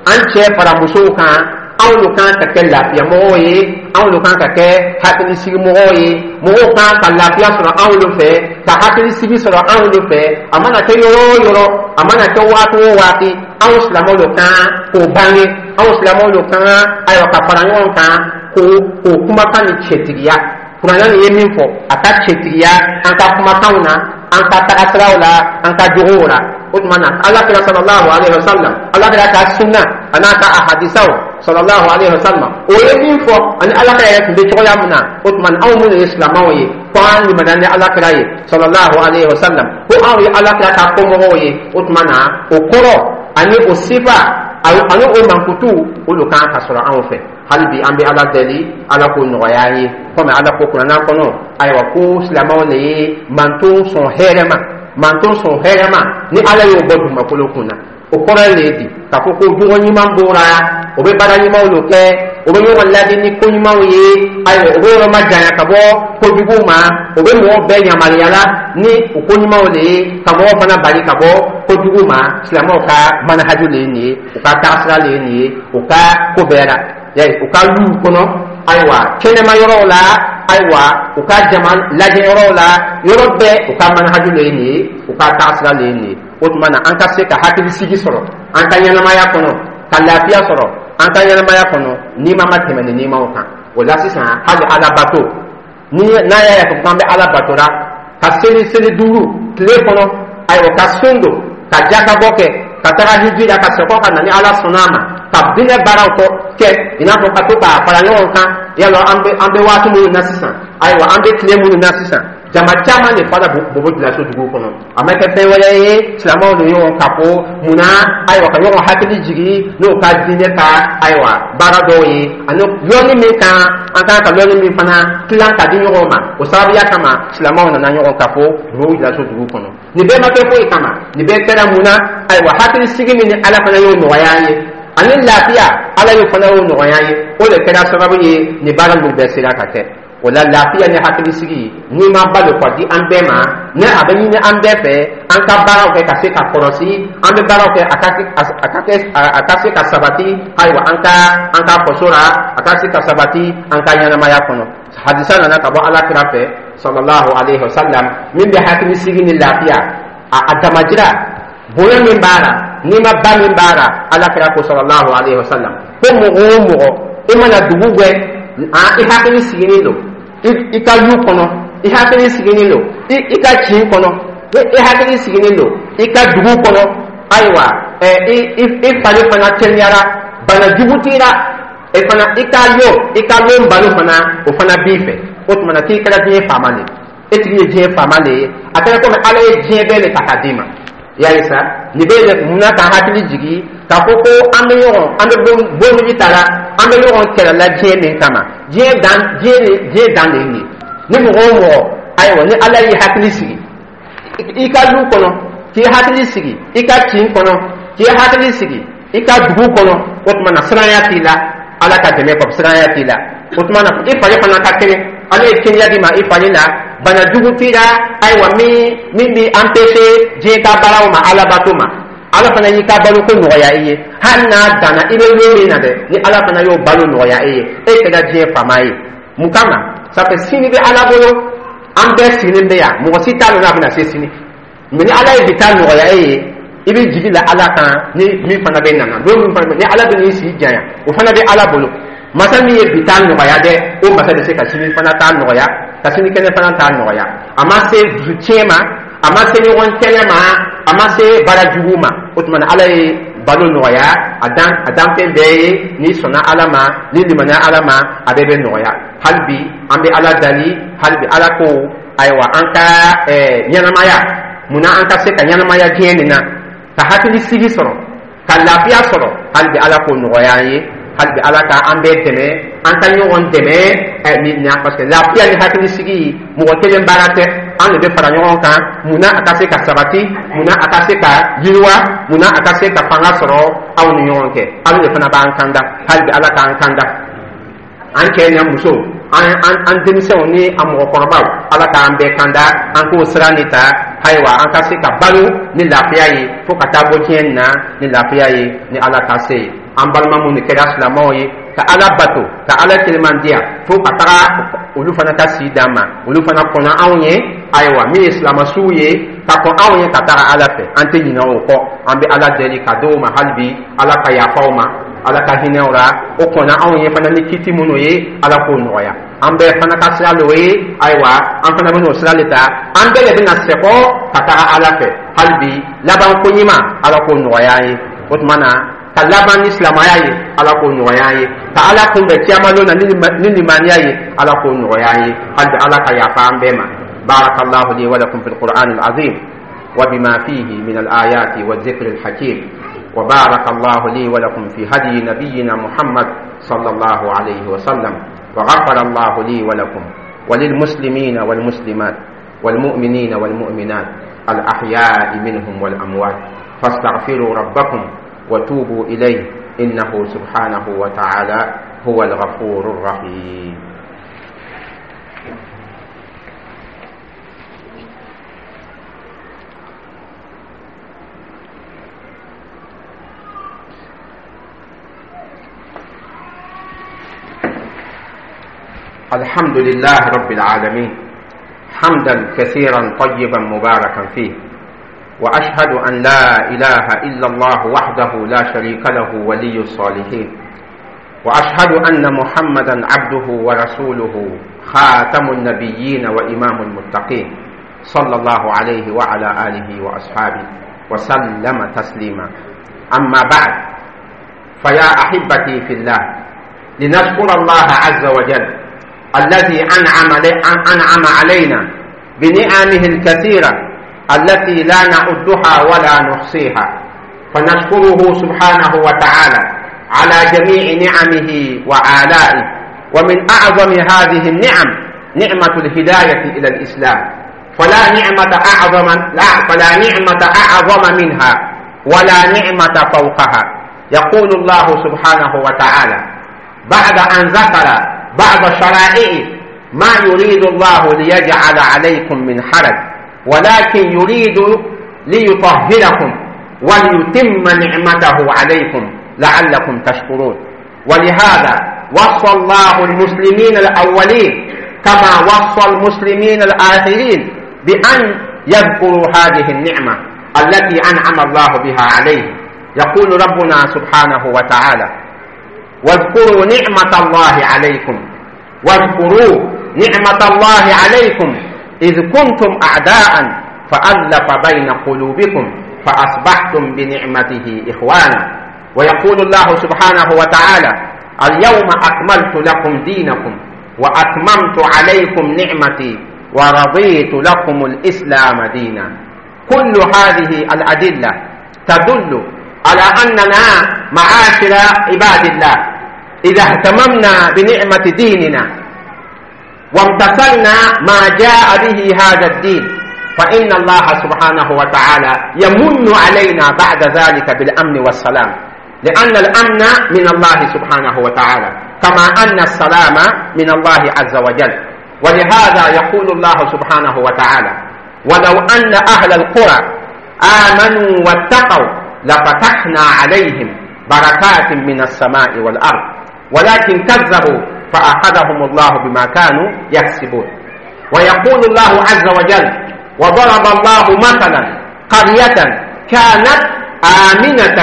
an cɛ fara musow kan, anw de kan ka kɛ lafiyamɔgɔw ye, anw de kan ka kɛ hakilisigimɔgɔw ye. Mɔgɔw kan ka lafiya sɔrɔ anw de fɛ, ka hakilisigi sɔrɔ anw de fɛ. A mana kɛ yɔrɔ o yɔrɔ, a mana kɛ waati o waati, anw silamɛw de kan k'o bange, anw silamɛw de kan, ayiwa, ka fara ɲɔgɔn kan k'o k'o kumakan ni cɛtigiya. Kuranɛ nin ye min fɔ, a ka cɛtigiya an ka kumakanw na, an ka tagasiraw la, an ka jogow la. O tuma na, Ala kira sallallahu alaihi wa sallam, Ala kira ka sunna a n'a ka ahadisaw sallallahu alaihi wa sallam, o ye min fɔ, ani Ala kira yɛrɛ tun bɛ cogoya min na, o tuma na, anw minnu ye silamɛw ye, ko an limaniya ni Ala kira ye sallallahu alaihi wa sallam, ko anw ye Ala kira ka kɔmɔgɔw ye, o tuma na, o kɔrɔ ani o sifa ani o mankutu, olu kan ka sɔrɔ anw fɛ. Hali bi, an bɛ Ala deli, Ala k'o nɔgɔya an ye. Komi Ala ko kuranna kɔnɔ, ayiwa, ko silamɛw de ye manton sɔn hɛrɛ ma, manton sɔn hɛrɛ ma ni Ala y'o bɔ dugumakolo kun na. O kɔrɔ ye le di k'a fɔ ko jogo ɲuman b'o la, o bɛ baara ɲumanw de kɛ, o bɛ ɲɔgɔn ladi ni ko ɲumanw ye, ayiwa, o bɛ yɔrɔ ma janya ka bɔ kojuguw ma, o bɛ mɔgɔw bɛɛ yamaruya la ni o ko ɲumanw de ye, ka mɔgɔw fana bali ka bɔ kojugu ma. Silamɛw ka manahaju de ye nin ye, u ka taasira de ye nin ye, u ka ko bɛɛ la, u ka luw kɔnɔ, ayiwa, kɛnɛma yɔrɔw la, ayiwa, u ka jama lajɛ yɔrɔw la, yɔrɔ bɛɛ, u ka manahaju de ye nin ye, u ka taasira de ye nin ye. O tuma na, an ka se ka hakilisigi sɔrɔ an ka ɲɛnamaya kɔnɔ, ka lafiya sɔrɔ an ka ɲɛnamaya kɔnɔ, nima ma tɛmɛ ni nimaw kan. O la sisan, hali Ala bato ni n'a y'a ye k'an bɛ Ala batora, ka seli seli duuru tile kɔnɔ, ayiwa, ka sun don, ka jakabɔ kɛ, ka taga hiji la, ka sɛgɔ ka na ni Ala sɔnna a ma, ka diinɛ baaraw kɔ kɛ, i n'a fɔ ka to k'a fara ɲɔgɔn kan yala. an bɛ an bɛ waati minnu na sisan, ayiwa, an bɛ tile minnu na sisan, jama caman de fara Bobo Julaso dugu kɔnɔ. A ma kɛ fɛn wɛrɛ ye, silamɛw de ɲɔgɔn ka fɔ munna, ayiwa, ka ɲɔgɔn hakili jigi n'o ka diinɛ ka, ayiwa, baara dɔw ye, ani lɔnni min kan an kan ka lɔnni min fana tilan ka di ɲɔgɔn ma. O sababuya kama, silamɛw nana ɲɔgɔn ka fɔ Bobo Julaso dugu kɔnɔ. Nin bɛɛ ma kɛ foyi kama, nin bɛɛ kɛra mun na? Ayiwa, hakili sigi min ni Ala fana y'o nɔgɔya an ye, ani lafiya, Ala y'o fana y'o nɔgɔya an ye, o de kɛra sababu ye nin baara ninnu bɛɛ sera ka kɛ. O la, lafiya ni hakilisigi n'i ma ba de ka di an bɛɛ ma, ni a bɛ ɲini an bɛɛ fɛ, an ka baaraw kɛ ka se ka kɔlɔsi, an bɛ baaraw kɛ a ka a ka kɛ a ka se ka sabati, ayiwa, an ka an ka faso la, a ka se ka sabati an ka ɲɛnamaya kɔnɔ. Hadisa nana ka bɔ Ala kira fɛ sallallahu alaihi wa sallam, min bɛ hakilisigi ni lafiya a a damajira bonya min b'a la, n'i ma ba min b'a la. Ala kira ko sallallahu alaihi wa sallam ko mɔgɔ o mɔgɔ, i mana dugu gɛ, i hakili sigilen don i ka lu kɔnɔ, i hakili sigilen don i ka kin kɔnɔ, i hakili sigilen don i ka dugu kɔnɔ, ayiwa, i i fari fana kɛnɛyara, bana jugu t'i la, e fana i ka lon i ka lon balo fana, o fana b'i fɛ, o tuma na, k'i kɛra diɲɛ faama de ye, e tigi ye diɲɛ faama de ye. A kɛra komi Ala ye diɲɛ bɛɛ de ta k'a d'i ma. Y'a ye sa, nin bɛ de munna k'an hakili jigi k'a fɔ ko an bɛ ɲɔgɔn an bɛ bondigi ta la, an bɛ ɲɔgɔn kɛlɛ la diɲɛ min kama, diɲɛ dan diɲɛ diɲɛ dan de ye nin ye. Ni mɔgɔ o mɔgɔ, ayiwa, ni Ala y'i hakili sigi i ka du kɔnɔ, k'i hakili sigi i ka kin kɔnɔ, k'i hakili sigi i ka dugu kɔnɔ, o tuma na, siranya t'i la, Ala ka dɛmɛ kɔ, siranya t'i la, o tuma na, i fari fana ka kɛnɛ, Ala ye kɛnɛya d'i ma i fari la, bana jugu t'i la, ayiwa, min min b'i empêcher diɲɛ ka baaraw ma, Ala bato ma, Ala fana y'i ka balo ko nɔgɔya i ye. Hali n'a danna i bɛ lon min na dɛ, ni Ala fana y'o balo nɔgɔya e ye, e kɛra diɲɛ faama ye. Mun kama? Ça fait sini bɛ Ala bolo. An bɛɛ sigilen bɛ yan, mɔgɔ si t'a dɔn n'a bɛna se sini. Mais ni Ala ye bi taa nɔgɔya e ye, i bɛ jigi la Ala kan ni min fana bɛ nana don min fana, ni Ala bɛ n'i si janya, o fana bɛ Ala bolo. Masa min ye bi taa nɔgɔya dɛ, o masa bɛ se ka sini fana taa nɔgɔya, ka sini kɛnɛ fana taa nɔgɔya. A ma se dusu tiɲɛ ma, a ma se ɲɔgɔn kɛlɛ ma, a ma se baara jugu ma. O tuma na, Ala ye balo nɔgɔya a dan a danfɛn bɛɛ ye. N'i sɔnna Ala ma, n'i limaniya Ala ma, a bɛɛ bɛ nɔgɔya. Hali bi, an bɛ Ala dali, hali bi, Ala ko, ayiwa, an ka ɲɛnamaya munna, an ka se ka ɲɛnamaya diɲɛ nin na, ka hakili sigi sɔrɔ, ka lafiya sɔrɔ. Hali bi, Ala k'o nɔgɔya an ye. Hali bi, Ala ka an bɛɛ dɛmɛ, an ka ɲɔgɔn dɛmɛ ɛ ni na, parce que lafiya ni hakili sigi, mɔgɔ kelen baara tɛ. An de bɛ fara ɲɔgɔn kan munna a ka se ka sabati, munna a ka se ka yiriwa, munna a ka se ka fanga sɔrɔ aw ni ɲɔgɔn cɛ. Ala de fana b'an kanda. Hali bi, Ala k'an kanda, an cɛ ni muso. An an an denmisɛnw ni an mɔgɔkɔrɔbaw, Ala k'an bɛɛ kanda an k'o sira nin ta. Ayiwa, an ka se ka balo ni lafiya ye fo ka taa bɔ diɲɛ na ni lafiya ye, ni Ala ka se ye. An balima minnu kɛra silamɛw ye ka Ala bato, ka Ala kelemandiya fo ka taga olu fana ka si d'an ma, olu fana kɔnna anw ye. Ayiwa, min ye silamɛsuw ye ka kɔn anw ye ka taga Ala fɛ, an tɛ ɲinɛ o kɔ. An bɛ Ala deli ka d'o ma hali bi, Ala ka yafa o ma, Ala ka hinɛ o la. O kɔnna anw ye fana ni kiti minnu ye, Ala k'o nɔgɔya. An bɛɛ fana ka sira l'o ye. Ayiwa, an fana bɛn'o sira de ta, an bɛɛ de bɛna sɛkɔ ka taga Ala fɛ. Hali bi, laban ko ɲuman, Ala k'o nɔgɔya an ye. O tuma na, ka laban ni silamɛya ye, Ala k'o nɔgɔya an ye. Ka Ala kunbɛn kiyamalon na ni limaniya ye, Ala k'o nɔgɔya an ye. Hali bi, Ala ka yafa an bɛɛ ma. بارك الله لي ولكم في القرآن العظيم وبما فيه من الآيات والذكر الحكيم، وبارك الله لي ولكم في هدي نبينا محمد صلى الله عليه وسلم، وغفر الله لي ولكم وللمسلمين والمسلمات والمؤمنين والمؤمنات الأحياء منهم والأموات. فاستغفروا ربكم وتوبوا إليه، إنه سبحانه وتعالى هو الغفور الرحيم. الحمد لله رب العالمين، حمدا كثيرا طيبا مباركا فيه، وأشهد أن لا إله إلا الله وحده لا شريك له ولي الصالحين، وأشهد أن محمدا عبده ورسوله خاتم النبيين وإمام المتقين، صلى الله عليه وعلى آله وأصحابه وسلم تسليما. أما بعد، فيا أحبتي في الله، لنشكر الله عز وجل الذي أنعم أنعم علينا بنعمه الكثيرة التي لا نعدها ولا نحصيها، فنشكره سبحانه وتعالى على جميع نعمه وآلائه. ومن أعظم هذه النعم نعمة الهداية إلى الإسلام، فلا نعمة أعظم لا فلا نعمة أعظم منها ولا نعمة فوقها. يقول الله سبحانه وتعالى بعد أن ذكر بعض شرائع: ما يريد الله ليجعل عليكم من حرج، ولكن يريد ليطهركم وليتم نعمته عليكم لعلكم تشكرون. ولهذا وصى الله المسلمين الأولين كما وصى المسلمين الآخرين بأن يذكروا هذه النعمة التي أنعم الله بها عليهم. يقول ربنا سبحانه وتعالى: واذكروا نعمة الله عليكم واذكروا نعمة الله عليكم إذ كنتم أعداء فألف بين قلوبكم فأصبحتم بنعمته إخوانا. ويقول الله سبحانه وتعالى: اليوم أكملت لكم دينكم وأتممت عليكم نعمتي ورضيت لكم الإسلام دينا. كل هذه الأدلة تدل على أننا معاشر عباد الله إذا اهتممنا بنعمة ديننا وامتثلنا ما جاء به هذا الدين، فإن الله سبحانه وتعالى يمن علينا بعد ذلك بالأمن والسلام، لأن الأمن من الله سبحانه وتعالى كما أن السلام من الله عز وجل. ولهذا يقول الله سبحانه وتعالى: ولو أن أهل القرى آمنوا واتقوا لفتحنا عليهم بركات من السماء والأرض، ولكن كذبوا فأخذهم الله بما كانوا يكسبون. ويقول الله عز وجل: وضرب الله مثلا قرية كانت آمنة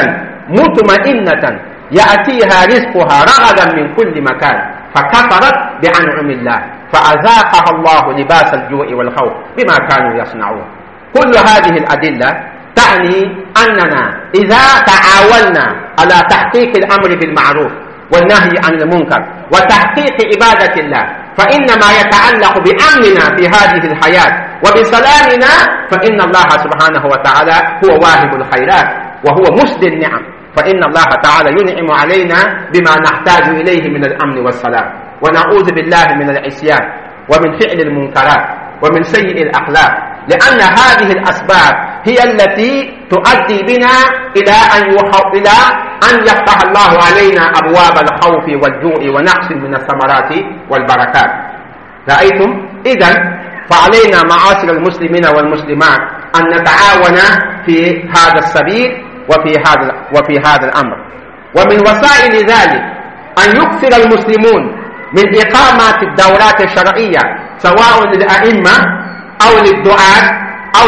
مطمئنة يأتيها رزقها رغدا من كل مكان فكفرت بأنعم الله فأذاقها الله لباس الجوع والخوف بما كانوا يصنعون. كل هذه الأدلة تعني أننا إذا تعاوننا على تحقيق الأمر بالمعروف والنهي عن المنكر وتحقيق عبادة الله، فإن ما يتعلق بأمننا في هذه الحياة وبسلامنا، فإن الله سبحانه وتعالى هو واهب الخيرات وهو مسدي النعم، فإن الله تعالى ينعم علينا بما نحتاج إليه من الأمن والسلام. ونعوذ بالله من العصيان ومن فعل المنكرات ومن سيء الأخلاق، لأن هذه الأسباب هي التي تؤدي بنا إلى أن إلى أن يفتح الله علينا أبواب الخوف والجوع ونقص من الثمرات والبركات. رأيتم؟ إذا فعلينا معاشر المسلمين والمسلمات أن نتعاون في هذا السبيل وفي هذا وفي هذا الأمر. ومن وسائل ذلك أن يكثر المسلمون من إقامة الدورات الشرعية، سواء للأئمة أو للدعاة أو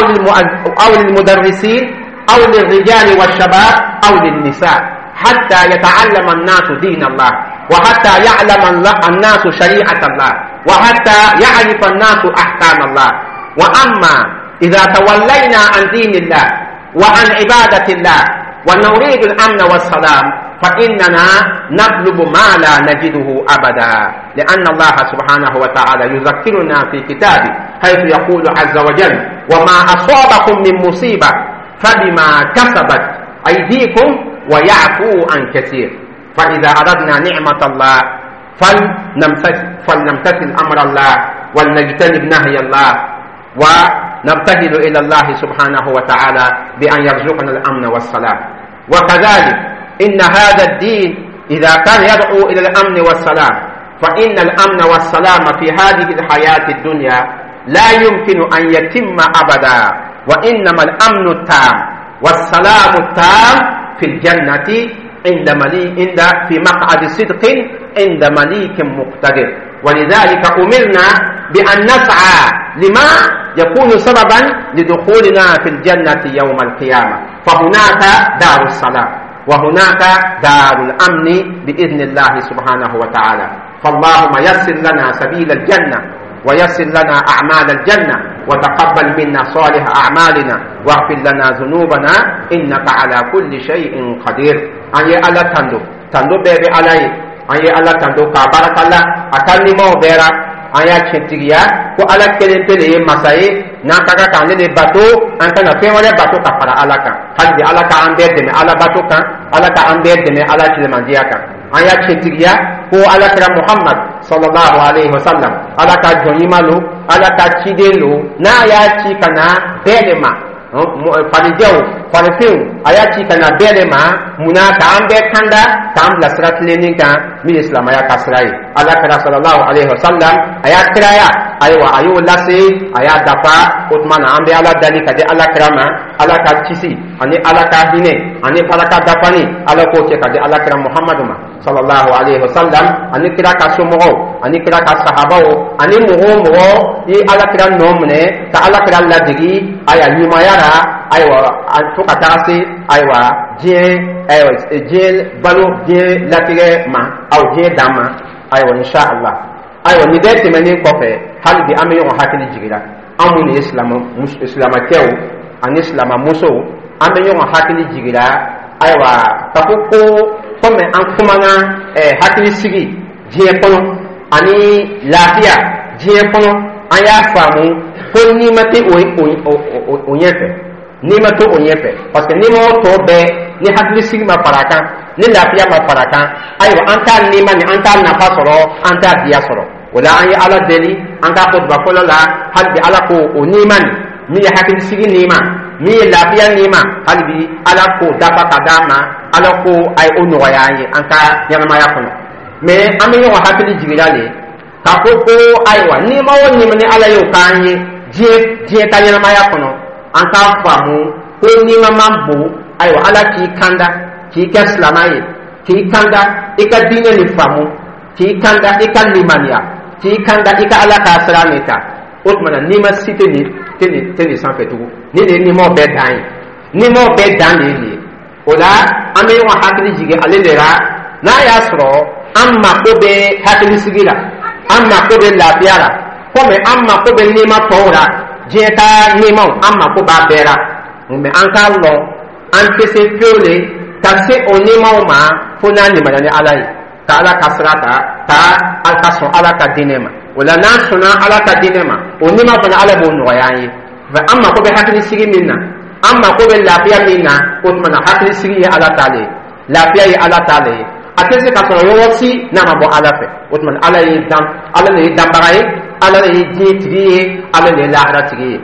أو للمدرسين أو للرجال والشباب أو للنساء، حتى يتعلم الناس دين الله، وحتى يعلم الناس شريعة الله، وحتى يعرف الناس أحكام الله. وأما إذا تولينا عن دين الله وعن عبادة الله ونريد الأمن والسلام فإننا نطلب ما لا نجده أبدا، لأن الله سبحانه وتعالى يذكرنا في كتابه حيث يقول عز وجل: وما أصابكم من مصيبة فبما كسبت أيديكم ويعفو عن كثير. فإذا أردنا نعمة الله فلنمتثل, فلنمتثل أمر الله، ولنجتنب نهي الله، ونبتهل إلى الله سبحانه وتعالى بأن يرزقنا الأمن والسلام. وكذلك إن هذا الدين إذا كان يدعو إلى الأمن والسلام، فإن الأمن والسلام في هذه الحياة الدنيا لا يمكن أن يتم أبدا، وإنما الأمن التام والسلام التام في الجنة عند مليك عند في مقعد صدق عند مليك مقتدر. ولذلك أمرنا بأن نسعى لما يكون سببا لدخولنا في الجنة يوم القيامة، فهناك دار السلام وهناك دار الأمن بإذن الله سبحانه وتعالى. فاللهم يسر لنا سبيل الجنة، ويسر لنا أعمال الجنة، وتقبل منا صالح أعمالنا، واغفر لنا ذنوبنا إنك على كل شيء قدير. An ye Ala tando, tando bɛɛ bɛ Ala ye. An ye Ala tando k'a barika la a ka nimaw bɛɛ ra. An y'a tiɲɛtigiya ko Ala kelen pe de ye masa ye, n'an ka kan k'ale de bato, an kana fɛn wɛrɛ bato ka fara Ala kan. Hali bi Ala k'an bɛɛ dɛmɛ Ala bato kan, Ala k'an bɛɛ dɛmɛ Ala tilemandiya kan. An y'a tiɲɛtigiya ko Ala kira Muhammad sallallahu alaihi wasallam, Ala ka jɔn ɲuman lo, Ala ka ciden lo, n'a y'a ci ka na bɛɛ de ma, farijɛw, farifinw, a y'a ci ka na bɛɛ de ma. Munna? K'an bɛɛ kanda, k'an bila sira tilennin kan min ye silamɛya ka sira ye. Ala kira sallallahu alaihi wasallam, a y'a kiraya, ayiwa, a y'o lase, a y'a dafa. O tuma na, an bɛ Ala dali ka di Ala kira ma, Ala ka kisi ani Ala ka hinɛ ani baraka dafani, Ala k'o kɛ ka di Ala kira Muhammadu ma sallallahu alaihi wasallam, ani kira ka somɔgɔw, ani kira ka sahabaw, ani mɔgɔ o mɔgɔ i Ala kira nɔ minɛ ka Ala kira ladegi ayiwa ɲumanya la, ayiwa, fo ka taga se ayiwa diɲɛ, ayiwa, diɲɛ balo, diɲɛ latigɛ ma, aw diɲɛ dan ma, ayiwa, insha Allah. Ayiwa, nin bɛɛ tɛmɛnen kɔfɛ, hali bi an bɛ ɲɔgɔn hakili jigira, an minnu ye silamɛ, silamɛkɛw ani silamɛmusow, an bɛ ɲɔgɔn hakili jigira, ayiwa, ka fɔ ko komi an kumana ɛɛ hakilisigi diɲɛ kɔnɔ ani lafiya diɲɛ kɔnɔ, an y'a faamu ko nima tɛ o o o o ɲɛfɛ, nima tɛ o ɲɛfɛ, parce que nima o tɔ bɛɛ, ni hakilisigi ma fara a kan, ni lafiya ma fara a kan, ayiwa, an t'a nima ni an t'a nafa sɔrɔ, an t'a diya sɔrɔ. O la, an ye Ala deli an k'a fɔ duba fɔlɔ la, hali bi Ala ko o nima nin min ye hakilisigi nima, min ye lafiya nima, hali bi Ala k'o dafa ka d'an ma, Ala ko a ye o nɔgɔya an ye an ka ɲɛnamaya kɔnɔ. Mais an bɛ ɲɔgɔn hakili jiginna de k'a fɔ ko ayiwa, nima o nima ni Ala y'o k'an ye diɲɛ diɲɛ ka ɲɛnamaya kɔnɔ, an k'a faamu ko nima man bon. Ayiwa, Ala k'i kanda k'i kɛ silamɛ ye, k'i kanda i ka diinɛ nin faamu, k'i kanda i ka limaniya, k'i kanda i ka Ala ka sira nin ta, o tuma na nima si tɛ nin tɛ nin tɛ nin sanfɛ tugun. Ni de ye nimaw bɛɛ dan ye, nimaw bɛɛ dan de ye nin ye. O la, an bɛ ɲɔgɔn hakili jigin ale de la, n'a y'a sɔrɔ an mako bɛ hakilisigi la, an mako bɛ lafiya la, komi an mako bɛ nima tɔw la, diɲɛ ka nimaw, an mako b'a bɛɛ la, mais an k'a lɔn an tɛ se fewu le ka se o nimaw ma fo n'a limaniya ni Ala ye, ka Ala ka sira ta, ka ka sɔn Ala ka diinɛ ma. O la, n'an sɔnna Ala ka diinɛ ma, o nima fana, Ala b'o nɔgɔya an ye. An mako bɛ hakilisigi min na, an mako bɛ lafiya min na, o tuma na hakilisigi ye Ala ta le ye, lafiya ye Ala ta le ye, a tɛ se ka sɔrɔ yɔrɔ si n'a ma bɔ Ala fɛ. O tuma na, Ala ye dan, Ala de ye danbaga ye, Ala de ye diɲɛ tigi ye, Ala de ye lahara tigi ye.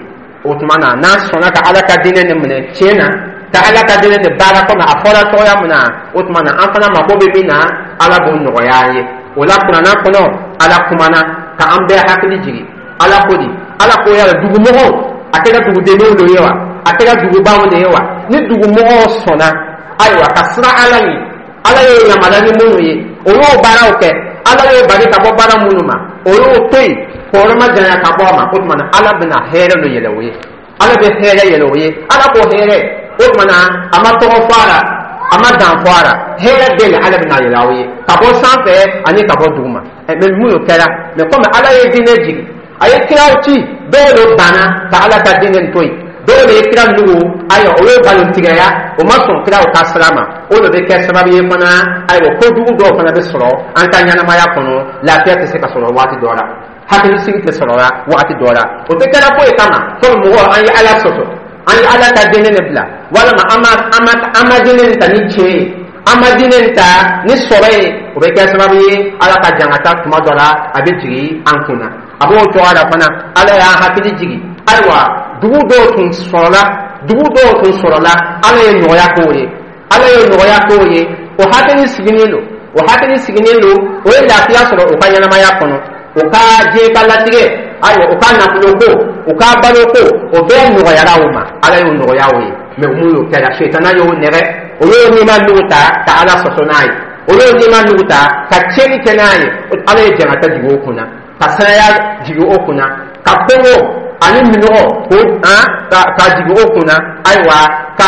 O tuma na, n'an sɔnna ka Ala ka diinɛ nin minɛ tiɲɛ na, ka Ala ka diinɛ nin baara komi a fɔra cogoya min na, o tuma na an fana mako bɛ min na, Ala b'o nɔgɔya an ye. O la, kuranna kɔnɔ, Ala kumana. Ka an bɛɛ hakili jigin, Ala ko di, Ala ko yala dugumɔgɔw, a kɛra dugudenninw de ye wa, a kɛra dugubaw de ye wa, ni dugumɔgɔw sɔnna, ayiwa, ka siran Ala ɲɛ, Ala y'o yamaruya ni minnu ye, o y'o baaraw kɛ, Ala y'o bali ka bɔ baara minnu ma, o y'o to yen k'o ma janya ka bɔ a ma, o tuma na Ala bɛna hɛrɛ dɔ yɛlɛ o ye. Ala bɛ hɛrɛ yɛlɛ o ye. Ala ko hɛrɛ, o tuma na a ma tɔgɔ fɔ a la, a ma dan fɔ a la, hɛrɛ bɛɛ la Ala bɛna yɛlɛ aw ye ka bɔ sanfɛ ani ka bɔ duguma. Mɛ mun y'o kɛra? Mɛ komi Ala ye diinɛ jigin, a ye kiraw ci, dɔw de banna ka Ala ka diinɛ to yen, dɔw de ye kira nugu, ayiwa, o ye nkalontigɛya, o ma sɔn kiraw ka sira ma. O de bɛ kɛ sababu ye fana, ayiwa, kojugu dɔw fana bɛ sɔrɔ an ka ɲɛnamaya kɔnɔ. Lafiya tɛ se ka sɔrɔ waati dɔ la, hakilisigi tɛ sɔrɔ la waati dɔ la. O tɛ kɛra foyi kama komi mɔgɔ an ye Ala sɔsɔ, an ye Ala ka diinɛ de bila, walima an ma an ma an ma diinɛ nin ta ni tiɲɛ ye, an ma diinɛ nin ta ni sɔrɔ ye. O bɛ kɛ sababu ye, Ala ka jangata tuma dɔ la, a bɛ jigin an kunna. A b'o cogoya la fana, Ala y'an hakili jigin, ayiwa, dugu dɔw tun sɔrɔla, dugu dɔw tun sɔrɔla, Ala ye nɔgɔya k'o ye, Ala ye nɔgɔya k'o ye. O hakili sigilen don, o hakili sigilen don, o ye lafiya sɔrɔ u ka ɲɛnamaya kɔnɔ, u ka diɲɛ ka latigɛ, ayiwa, u ka nafolo ko, u ka balo ko, o bɛɛ nɔgɔyara o ma. Ala y'o nɔgɔya o ye. Mɛ mun y'o kɛra? Setana y'o nɛgɛ, o y'o nima nugu ta ka Ala sɔsɔ n'a ye, o y'o nima nugu ta ka tiɲɛni kɛ n'a ye. Ala ye jangata jigin o kunna, ka sanaya jigin o kunna, ka kɔngɔ ani minɔgɔ ko han ka ka jigin o kunna, ayiwa, ka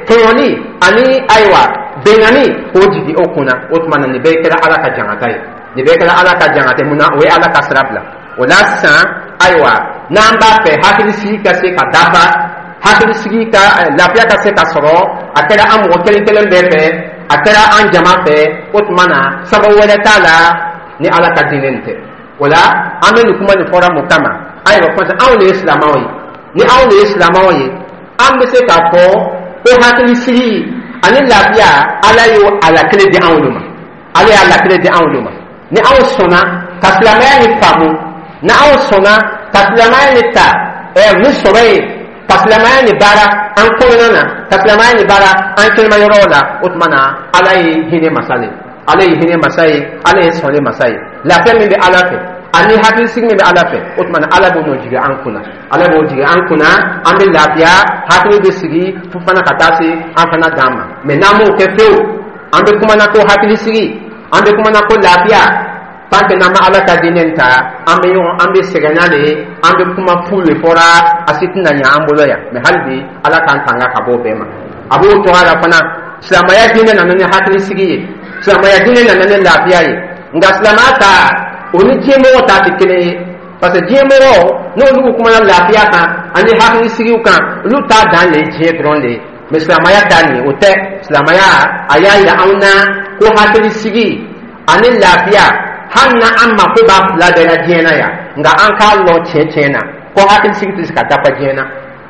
tɔɲɔni ani, ayiwa, bɛnganni k'o jigin o kunna. O tuma na, nin bɛɛ kɛra Ala ka jangata ye, nin bɛɛ kɛra Ala ka jangata ye. Mun na? O ye Ala ka sira bila. O la sisan, ayiwa, n'an b'a fɛ hakilisigi ka se ka dafa, hakilisigi ka lafiya ka se ka sɔrɔ, a kɛra an mɔgɔ kelen kelen bɛɛ fɛ, a kɛra an jama fɛ, o tuma na sababu wɛrɛ t'a la ni Ala ka diinɛ nin tɛ. O la, an bɛ nin kuma nin fɔra mun kama? Ayiwa, parce que anw de ye silamɛw ye. Ni anw de ye silamɛw ye, an bɛ se k'a fɔ ko hakilisigi ani lafiya, Ala y'o a lakile di anw de ma. Ala y'a lakile di anw de ma. Ni anw sɔnna ka silamɛya ni faamu, ni anw sɔnna ka silamɛya ni ta ɛ ni sɔrɔ ye, ka silamɛya ni baara an kɔnɔna na, ka silamɛya ni baara an kɛnɛma yɔrɔw la, o tuma na Ala ye hinɛ masa de ye, Ala ye hinɛ masa ye, Ala ye sɔnni masa ye. Lafiya min bɛ Ala fɛ ani hakilisigi min bɛ Ala fɛ, o tuma na Ala b'o n'o jigin an kunna, Ala b'o jigin an kunna, an bɛ lafiya, hakili bɛ sigi fo fana ka taa se an fana dan ma. Mɛ n'an m'o kɛ fewu, an bɛ kuma na ko hakilisigi, an bɛ kuma na ko lafiya, tant que n'an ma Ala ka diinɛ ta, an bɛ ɲɔgɔn, an bɛ sɛgɛn n'ale ye, an bɛ kuma fu le fɔra, a si tɛna ɲɛ an bolo yan. Mɛ hali bi, Ala k'an tanga ka bɔ o bɛɛ ma. A b'o cogoya la fana, silamɛya diinɛ nana ni hakilisigi ye, silamɛya diinɛ nana ni lafiya ye. Nka silamɛya ta, o ni diɲɛmɔgɔ ta tɛ kelen ye, parce que diɲɛmɔgɔ, n'olu kumana lafiya kan ani hakilisigiw kan, olu t'a dan le ye diɲɛ dɔrɔn de ye. Mɛ silamɛya ta nin, o tɛ. Silamɛya a y'a yira anw na ko hakilisigi ani lafiya, hali na an mako b'a fila bɛɛ la diɲɛ na yan, nka an k'a lɔn tiɲɛ tiɲɛ na ko hakilisigi tɛ se ka dafa diɲɛ na,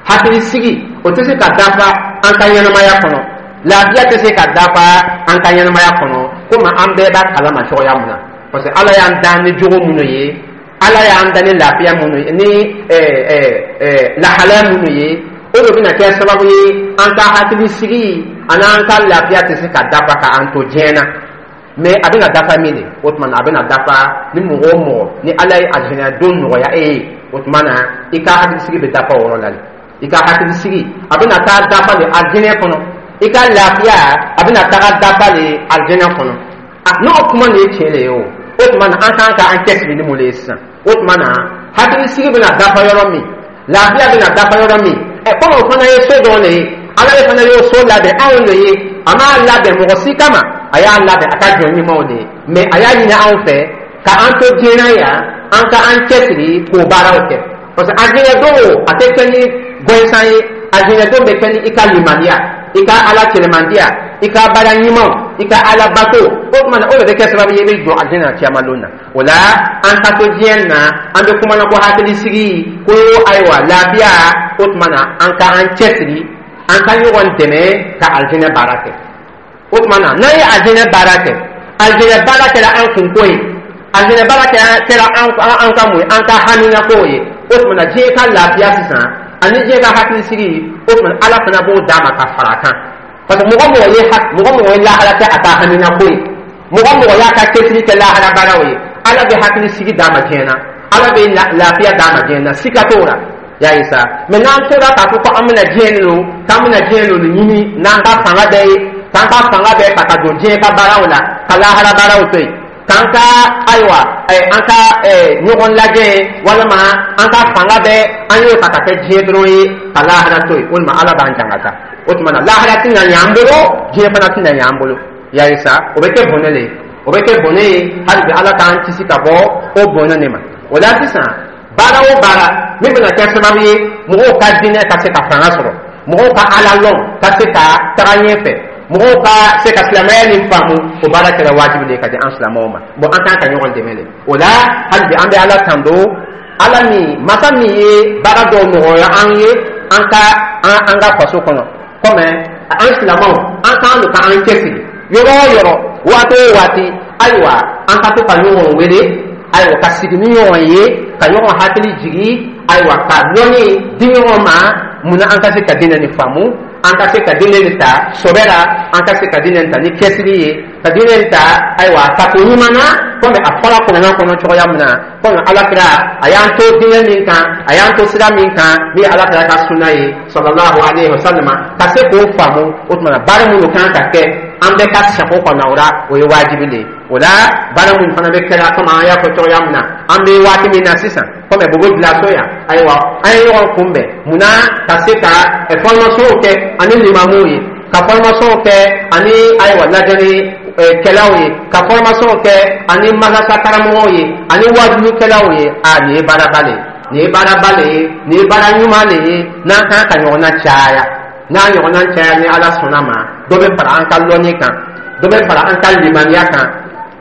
hakilisigi o tɛ se ka dafa an ka ɲɛnamaya kɔnɔ, lafiya tɛ se ka dafa an ka ɲɛnamaya kɔnɔ, komi an bɛɛ b'a kalama cogoya mun na. Parce que Ala y'an dan ni jogo minnu ye, Ala y'an dan ni lafiya minnu ye, ni lahalaya minnu ye, o de bɛna kɛ sababu ye an ka hakilisigi ani an ka lafiya tɛ se ka dafa ka an to diɲɛ na. Mɛ a bɛna dafa min de, o tuma na a bɛna dafa ni mɔgɔ o mɔgɔ ni Ala ye alijinɛ don nɔgɔya e ye, o tuma na i ka hakilisigi bɛ dafa o yɔrɔ la de. I ka hakilisigi a bɛna taa dafa de alijinɛ kɔnɔ, i ka lafiya a bɛna taga dafa de alijinɛ kɔnɔ. N'o kuma nin ye tiɲɛ de ye, o o tuma na an kan ka an cɛsiri ni mun de ye sisan? O tuma na hakilisigi bɛna dafa yɔrɔ min, lafiya bɛna dafa yɔrɔ min, ɛ komi o fana ye so dɔ de ye, Ala ye fana y'o so labɛn anw de ye. A m'a labɛn mɔgɔ si kama, a y'a labɛn a ka jɔn ɲumanw de ye. Mɛ a y'a ɲini anw fɛ ka an to diɲɛ na yan, an ka an cɛsiri k'o baaraw kɛ, parce que alijinɛ don, a tɛ kɛ ni gɔnsan ye. Alijinɛ don bɛ kɛ ni i ka limaniya, i ka Ala cɛlɛmandiya, i ka baara ɲumanw, i ka Ala bato. O tuma na, o de bɛ kɛ sababu ye i bɛ jɔ alijinɛ na caman don na. O la, an ka to diɲɛ na, an bɛ kuma na ko hakilisigi, ko ayiwa, lafiya, o tuma na an ka an cɛsiri, an ka ɲɔgɔn dɛmɛ ka alijinɛ baara kɛ. O tuma na, n'an ye alijinɛ baara kɛ, alijinɛ baara kɛra an kunko ye, alijinɛ baara kɛra an an ka mun ye, an ka haminako ye. O tuma na, diɲɛ ka lafiya sisan ani diɲɛ ka hakilisigi, o tuma Ala fana b'o d'a ma ka fara a kan, parce que mɔgɔ mɔgɔ ye mɔgɔ mɔgɔ ye lahara kɛ a ka haminako ye, mɔgɔ mɔgɔ y'a ka cɛsiri kɛ lahara baaraw ye, Ala bɛ hakilisigi d'a ma diɲɛ na. Ala bɛ lafiya d'a ma diɲɛ na, sika t'o la. Y'a ye sa, mɛ n'an tora k'a fɔ ko an bɛna diɲɛ de lo, k'an bɛna diɲɛ lo ɲini n'an ka fanga bɛɛ ye, k'an ka fanga bɛɛ ta ka don diɲɛ ka baaraw la, ka lahara baaraw to yen, k'an ka, ayiwa, an ka ɲɔgɔn lajɛ, walima an ka fanga bɛɛ an y'o ta ka kɛ diɲɛ dɔrɔn ye, ka lahara to yen, walima Ala b'an jangata. O tuma na, lahara tɛna ɲɛ an bolo, diɲɛ fana tɛna ɲɛ an bolo. Y'a ye sa, o bɛ kɛ bɔnɛ le ye, o bɛ kɛ bɔnɛ ye. Hali bi, Ala k'an kisi ka bɔ o bɔnɛ de ma. O la sisan, baara o baara min bɛna kɛ sababu ye mɔgɔw ka diinɛ ka se ka fanga sɔrɔ, mɔgɔw ka Ala lɔn ka se ka taga ɲɛfɛ, mɔgɔw ka se ka silamɛya nin faamu, o baara kɛra wajibi de ye ka di an silamɛw ma. Bon, an kan ka ɲɔgɔn dɛmɛ de o la. Hali bi, an bɛ Ala tando, Ala min, masa min ye baara dɔw nɔgɔya an ye an ka an an ka faso kɔnɔ. Komi an silamɛw, an kan ka an cɛsiri yɔrɔ o yɔrɔ, waati o waati. Ayiwa, an ka to ka ɲɔgɔn wele, ayiwa, ka sigi ni ɲɔgɔn ye, ka ɲɔgɔn hakili jigi, ayiwa, ka lɔnni di ɲɔgɔn ma. Munna an ka se ka diinɛ nin faamu, an ka se ka diinɛ nin ta sɔbɛ la, an ka se ka diinɛ nin ta ni cɛsiri ye, ka diinɛ nin ta, ayiwa, tako ɲuman na, komi a fɔra kuranɛ kɔnɔ cogoya min na, komi Alakira a y'an to diinɛ min kan, a y'an to sira min kan, min ye Alakira ka sunna ye, sallallahu alaihi wa sallam, ka se k'o faamu. O tuma na, baara minnu kan ka kɛ, an bɛɛ ka sago kɔnɔ o la, o ye wajibi de ye. O la, baara minnu fana bɛ kɛra, komi an y'a fɔ cogoya min na, an bɛ waati min na sisan, komi Bobo Dioulasso yan, ayiwa, an ye ɲɔgɔn kunbɛn munna? Ka se ka formation kɛ ani limamuw ye, ka formation kɛ ani, ayiwa, lajɛli kɛlaw ye, ka formation kɛ ani madrasa karamɔgɔw ye, ani wajulikɛlaw ye. A nin ye baaraba le ye, nin ye baaraba le ye, nin ye baara ɲuman le ye. N'an kan ka ɲɔgɔnna caya, n'a ɲɔgɔnna caya, ni Ala sɔnna ma, dɔ bɛ fara an ka lɔnni kan, dɔ bɛ fara an ka limaniya kan,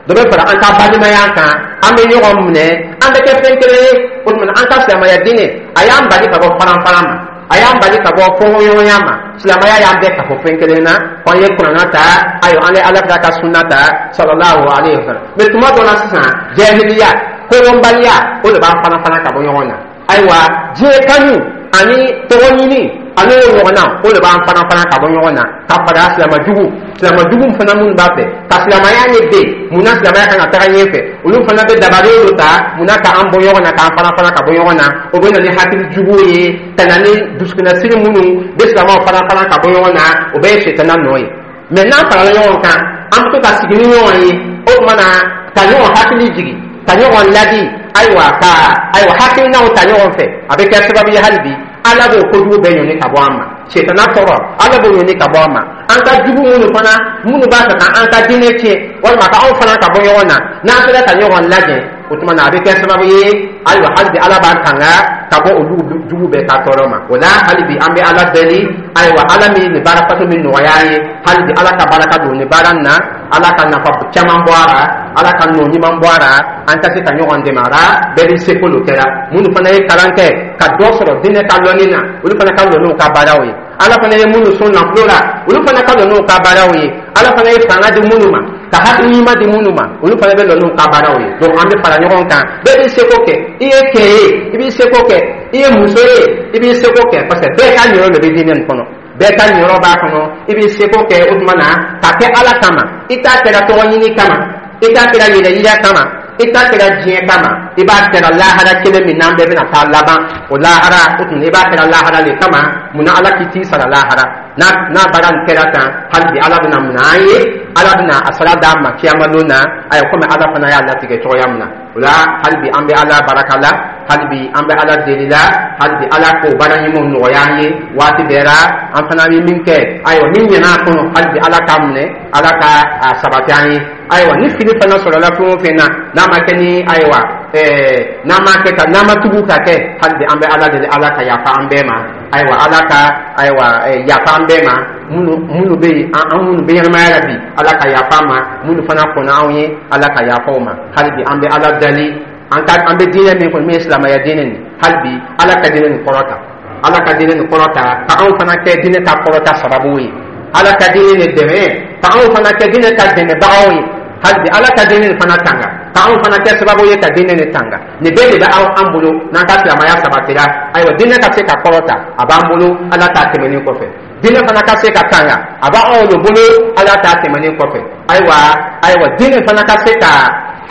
dɔ bɛ fara an ka balimaya kan. An bɛ ɲɔgɔn minɛ, an bɛ kɛ fɛn kelen ye. O tuma, an ka silamɛya diinɛ, a y'an bali ka bɔ faran-faran ma, a y'an bali ka bɔ fɔɲɔgɔnya ma. Silamɛya y'an bɛɛ ka fɔ fɛn kelen na, ko an ye kuranna ta, ayiwa, an ye Ala ka sunna ta, sallallahu alaihi wa sallam. Mɛ tuma dɔ la sisan, jahiliya, kodɔnbaliya, o de b'an fana fana ka bɔ ɲɔgɔn na. Ayiwa, diɲɛ kanu ani tɔgɔ ɲini ani o ɲɔgɔnna, o de b'an fana fana ka bɔ ɲɔgɔn na, ka fara silamɛjugu silamɛjugu fana minnu b'a fɛ ka silamɛya ye den. Munna silamɛya kan ka taga ɲɛfɛ? Olu fana bɛ dabali dɔ ta munna k'an bɔ ɲɔgɔn na, k'an fana fana ka bɔ ɲɔgɔn na. O bɛ na ni hakili jugu ye, ka na ni dusukunnasiri minnu bɛ silamɛw fana fana ka bɔ ɲɔgɔn na. O bɛɛ ye sɛtana nɔ ye. Mɛ n'an farala ɲɔgɔn kan, an bɛ to ka sigi ni ɲɔgɔn ye, o tuma na, ka ɲɔgɔn hakili jigi, ka ɲɔgɔn ladi, ayiwa, ka, ayiwa, hakilinaw ta ɲɔgɔn fɛ, a bɛ kɛ sababu ye hali bi, Ala b'o kojugu bɛɛ ɲɔni ka bɔ an ma. Sɛtana tɔɔrɔ, Ala b'o ɲɔni ka bɔ an ma. An ka jugu minnu fana, minnu b'a fɛ ka an ka diinɛ tiɲɛ, walima ka anw fana ka bɔ ɲɔgɔn na, n'an sera ka ɲɔgɔn lajɛ, o tuma na, a bɛ kɛ sababu ye, ayiwa, hali bi, Ala b'an tanga ka bɔ olu jugu bɛɛ ka tɔɔrɔ ma. O la, hali bi, an bɛ Ala deli, ayiwa, Ala min nin baara faso min nɔgɔya an ye, hali bi, Ala ka baraka don nin baara nin na, Ala ka nafa caman bɔ a la, Ala ka nɔ ɲuman bɔ a la, an ka se ka ɲɔgɔn dɛmɛ a la. Bɛɛ b'i seko lo kɛra. Minnu fana ye kalan kɛ ka dɔ sɔrɔ diinɛ ka lɔnni na, olu fana ka lɔ n'u ka baaraw ye. Ala fana ye minnu sɔn nafolo la, olu fana ka lɔ n'u ka baaraw ye. Ala fana ye fanga di minnu ma, ka hakili ɲuman di minnu ma, olu fana bɛ lɔ n'u ka baaraw ye. Donc an bɛ fara ɲɔgɔn kan, bɛɛ b'i seko kɛ. I ye cɛ ye, i b'i seko kɛ. I ye muso ye, i b'i seko kɛ, parce que bɛɛ ka ɲɔrɔ de bɛ diinɛ nin kɔnɔ, bɛɛ ka ɲɔrɔ b'a kɔnɔ. I b'i seko kɛ, o tuma na, ka kɛ Ala kama. I t'a kɛra tɔgɔ ɲini kama, i t'a kɛra yɛrɛ yira kama, i t'a kɛra diɲɛ kama. I b'a kɛra lahara kelen min n'an bɛɛ bɛna taa laban, o lahara, o tuma, i b'a kɛra lahara de kama. Munna Ala k'i t'i sara lahara? n'a n'a baara nin kɛra tan, hali bi, Ala bɛna mun an ye? Ala bɛna a sara d'an ma kiyama don na, ayiwa, komi Ala fana y'a latigɛ cogoya min na. O la, hali bi, an bɛ Ala baraka la, hali bi, an bɛ Ala deli la, hali bi, Ala k'o baara ɲumanw nɔgɔya an ye waati bɛɛ la. An fana bɛ min kɛ, ayiwa, min ɲɛna a kɔnɔ, hali bi, Ala k'a minɛ, Ala ka a sabati an ye. Ayiwa, ni fili fana sɔrɔla fɛn o fɛn na, n'a ma kɛ ni, ayiwa, ɛɛ n'a ma kɛ ka n'a ma tugu ka kɛ, hali bi, an bɛ Ala deli, Ala ka yafa an bɛɛ ma. Ayiwa, Ala ka, ayiwa, yafa an bɛɛ ma. minnu minnu bɛ yen, an minnu bɛ ɲɛnamaya la bi, Ala ka yafa an ma. Minnu fana kɔnna anw ye, Ala ka yafa u ma. Hali bi, an bɛ Ala dali, an ka an bɛ diinɛ min kɔnɔ, min ye silamɛya diinɛ nin, hali bi, Ala ka diinɛ nin kɔrɔta, Ala ka diinɛ nin kɔrɔta, ka anw fana kɛ diinɛ ka kɔrɔta sababu ye. Ala ka diinɛ nin dɛmɛ, ka anw fana kɛ diinɛ ka dɛmɛbagaw ye. Hali bi, Ala ka diinɛ nin fana tanga, ka anw fana kɛ sababu ye ka diinɛ nin tanga. Nin bɛɛ de bɛ anw an bolo n'an ka silamɛya sabatira. Ayiwa, diinɛ ka se ka kɔrɔta, a b'an bolo Ala ta tɛmɛnen kɔfɛ. Diinɛ fana ka se ka tanga, a b'anw de bolo Ala ta tɛmɛnen kɔfɛ. Ayiwa, ayiwa, diinɛ fana ka se ka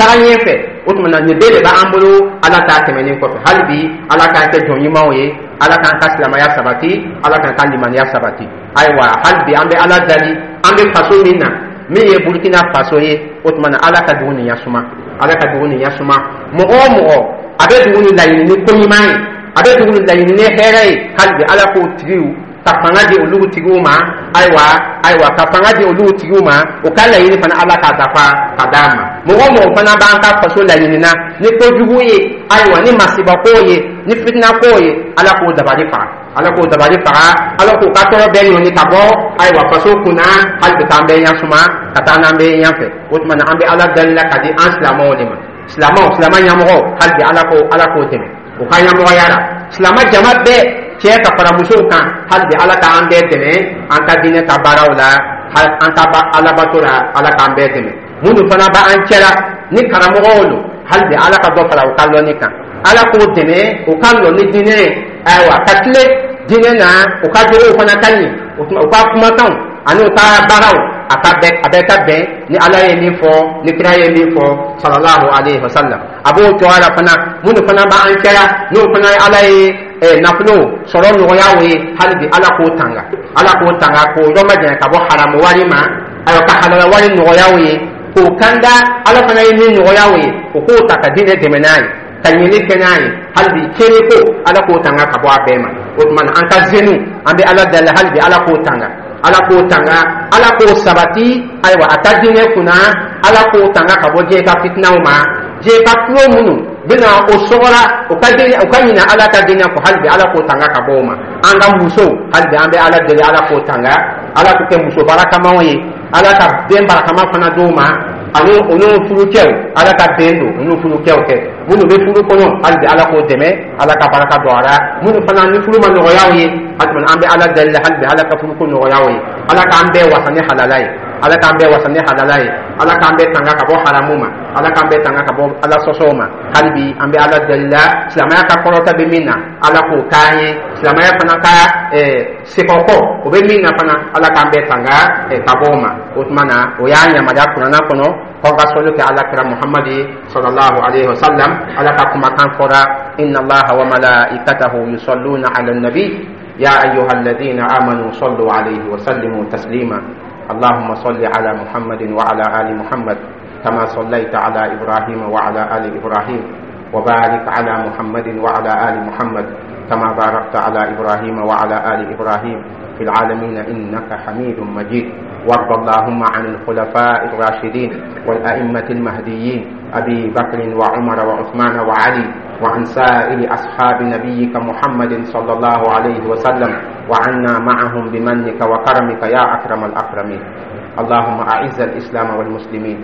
Taga ɲɛfɛ, o tuma na nin bɛɛ de b'an bolo. Ala ta tɛmɛnen kɔfɛ, hali bi Ala k'an kɛ jɔn ɲumanw ye, Ala k'an ka silamɛya sabati, Ala k'an ka limaniya sabati. Ayiwa, hali bi an bɛ Ala dali. An bɛ faso min na, min ye Burukina Faso ye, o tuma na Ala ka dugu nin yasuma, Ala ka dugu nin yasuma. Mɔgɔ o mɔgɔ a bɛ dugu nin laɲini ni ko ɲuman ye, a bɛ dugu nin laɲini ni hɛrɛ ye, hali bi Ala k'o tigiw ka fanga di olu tigiw ma. Ayiwa, ayiwa, ka fanga di olu tigiw ma, o ka laɲini fana, Ala k'a dafa ka d'a ma. Mɔgɔ o mɔgɔ fana b'an ka faso laɲini na ni kojugu ye, ayiwa, ni masibako ye, ni fitinako ye, Ala k'o dabali faga, Ala k'o dabali faga, Ala k'o ka tɔɔrɔ bɛɛ ɲɔni ka bɔ, ayiwa, faso kunna. Hali bi k'an bɛɛ ɲasuma ka taa n'an bɛɛ ɲɛfɛ. O tuma na an bɛ Ala dali la ka di an silamɛw de ma. Silamɛw, silamɛ ɲɛmɔgɔ, hali bi Ala ko Ala k'o dɛmɛ o ka ɲɛmɔgɔya la. Silamɛ jama bɛɛ, cɛ ka fara musow kan, hali bi Ala k'an bɛɛ dɛmɛ an ka diinɛ ka baaraw la, an ka alabato la, Ala k'an bɛɛ dɛmɛ. Minnu fana b'an cɛla ni karamɔgɔw don, hali bi Ala ka dɔ fara u ka lɔnni kan, Ala k'o dɛmɛ u ka lɔnni diinɛ ye, ayiwa, ka tile diinɛ na, u ka jogow fana ka ɲi, u ka kumakanw ani u ka baaraw, a ka bɛn, a bɛɛ ka bɛn ni Ala ye min fɔ, ni kira ye min fɔ, sallallahu alayhi wa sallam. A b'o cogoya la fana, minnu fana b'an cɛla, n'o fana ye Ala ye nafolo sɔrɔ nɔgɔya o ye, hali bi Ala k'o tanga, Ala k'o tanga, k'o yɔrɔ majanya ka bɔ haramu wari ma, ayiwa, ka halala wari nɔgɔya o ye, k'o kanda. Ala fana ye min nɔgɔya o ye, o k'o ta ka diinɛ dɛmɛ n'a ye, ka ɲini kɛ n'a ye. Hali bi tiɲɛni ko, Ala k'o tanga ka bɔ a bɛɛ ma. O tuma na an ka zenu, an bɛ Ala dali, hali bi Ala k'o tanga, Ala k'o tanga, Ala k'o sabati, ayiwa, a ka diinɛ kunna. Ala k'o tanga ka bɔ diɲɛ ka fitinaw ma, diɲɛ ka tulo minnu bɛna o sɔgɔra o ka diinɛ, o ka ɲinɛ Ala ka diinɛ kɔ, hali bi Ala k'o tanga ka bɔ o ma. An ka musow, hali bi an bɛ Ala deli, Ala k'o tanga, Ala k'o kɛ muso barakamaw ye, Ala ka den barakama fana d'o ma, ani o n'o furucɛw, Ala ka den don o n'o furucɛw kɛ. Minnu bɛ furu kɔnɔ, hali bi Ala k'o dɛmɛ, Ala ka baraka don a la. Minnu fana ni furu ma nɔgɔya o ye, hali an bɛ Ala deli, hali bi Ala ka furuko nɔgɔya o ye. Ala k'an bɛɛ wasa ni halala ye, Ala k'an bɛɛ wasa ni halala ye, Ala k'an bɛɛ tanga ka bɔ haramu ma, Ala k'an bɛɛ tanga ka bɔ Ala sɔsɔw ma. Hali bi an bɛ Ala deli la, silamɛya ka kɔrɔta bɛ min na, Ala k'o k'an ye. Silamɛya fana ka sekɔkɔ o bɛ min na fana, Ala k'an bɛɛ tanga ka bɔ o ma. O tuma na o y'a yamaruya Kuranna kɔnɔ k'aw ka sɔli kɛ Ala kira Muhamadi sallallahu alayhi wa sallam. Ala ka kumakan fɔra: inna Allaha wa malaikatahu yusalluna ala nabi ya ayyuha alladhina amanu sallu alayhi wa sallimu taslima. اللهم صل على محمد وعلى آل محمد كما صليت على إبراهيم وعلى آل إبراهيم، وبارك على محمد وعلى آل محمد كما باركت على إبراهيم وعلى آل إبراهيم في العالمين إنك حميد مجيد. وارض اللهم عن الخلفاء الراشدين والأئمة المهديين أبي بكر وعمر وعثمان وعلي، وعن سائر أصحاب نبيك محمد صلى الله عليه وسلم، وعنا معهم بمنك وكرمك يا أكرم الأكرمين. اللهم أعز الإسلام والمسلمين،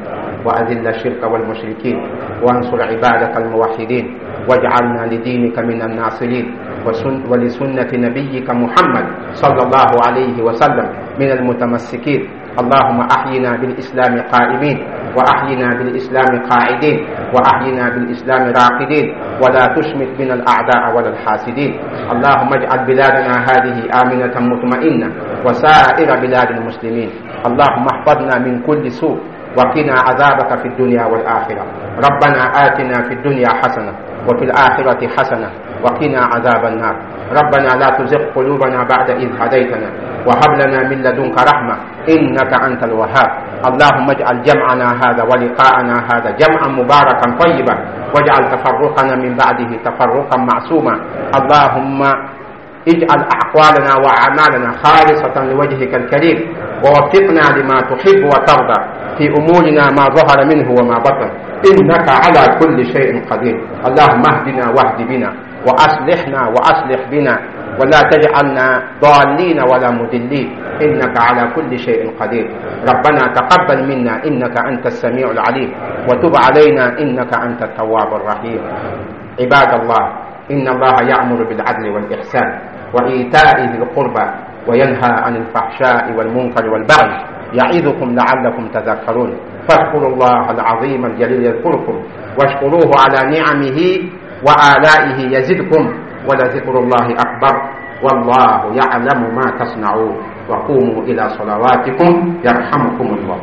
وأذل الشرك والمشركين، وانصر عبادك الموحدين، واجعلنا لدينك من الناصرين، ولسنة نبيك محمد صلى الله عليه وسلم من المتمسكين. اللهم أحينا بالإسلام قائمين، وأحينا بالإسلام قاعدين، وأحينا بالإسلام راقدين، ولا تشمت بنا الأعداء ولا الحاسدين. اللهم اجعل بلادنا هذه آمنة مطمئنة وسائر بلاد المسلمين. اللهم احفظنا من كل سوء وقنا عذابك في الدنيا والآخرة. ربنا آتنا في الدنيا حسنة وفي الآخرة حسنة وقنا عذاب النار. ربنا لا تزغ قلوبنا بعد إذ هديتنا وهب لنا من لدنك رحمة إنك أنت الوهاب. اللهم اجعل جمعنا هذا ولقاءنا هذا جمعا مباركا طيبا، واجعل تفرقنا من بعده تفرقا معصوما. اللهم اجعل أقوالنا وأعمالنا خالصة لوجهك الكريم، ووفقنا لما تحب وترضى في أمورنا ما ظهر منه وما بطن، إنك على كل شيء قدير. اللهم اهدنا واهد بنا، وأصلحنا وأصلح بنا، ولا تجعلنا ضالين ولا مضلين، إنك على كل شيء قدير. ربنا تقبل منا إنك أنت السميع العليم، وتب علينا إنك أنت التواب الرحيم. عباد الله، إن الله يأمر بالعدل والإحسان وإيتاء ذي القربى وينهى عن الفحشاء والمنكر والبغي يعظكم لعلكم تذكرون. فاذكروا الله العظيم الجليل يذكركم، واشكروه على نعمه وآلائه يزدكم، ولذكر الله أكبر، والله يعلم ما تصنعون. وقوموا إلى صلواتكم يرحمكم الله.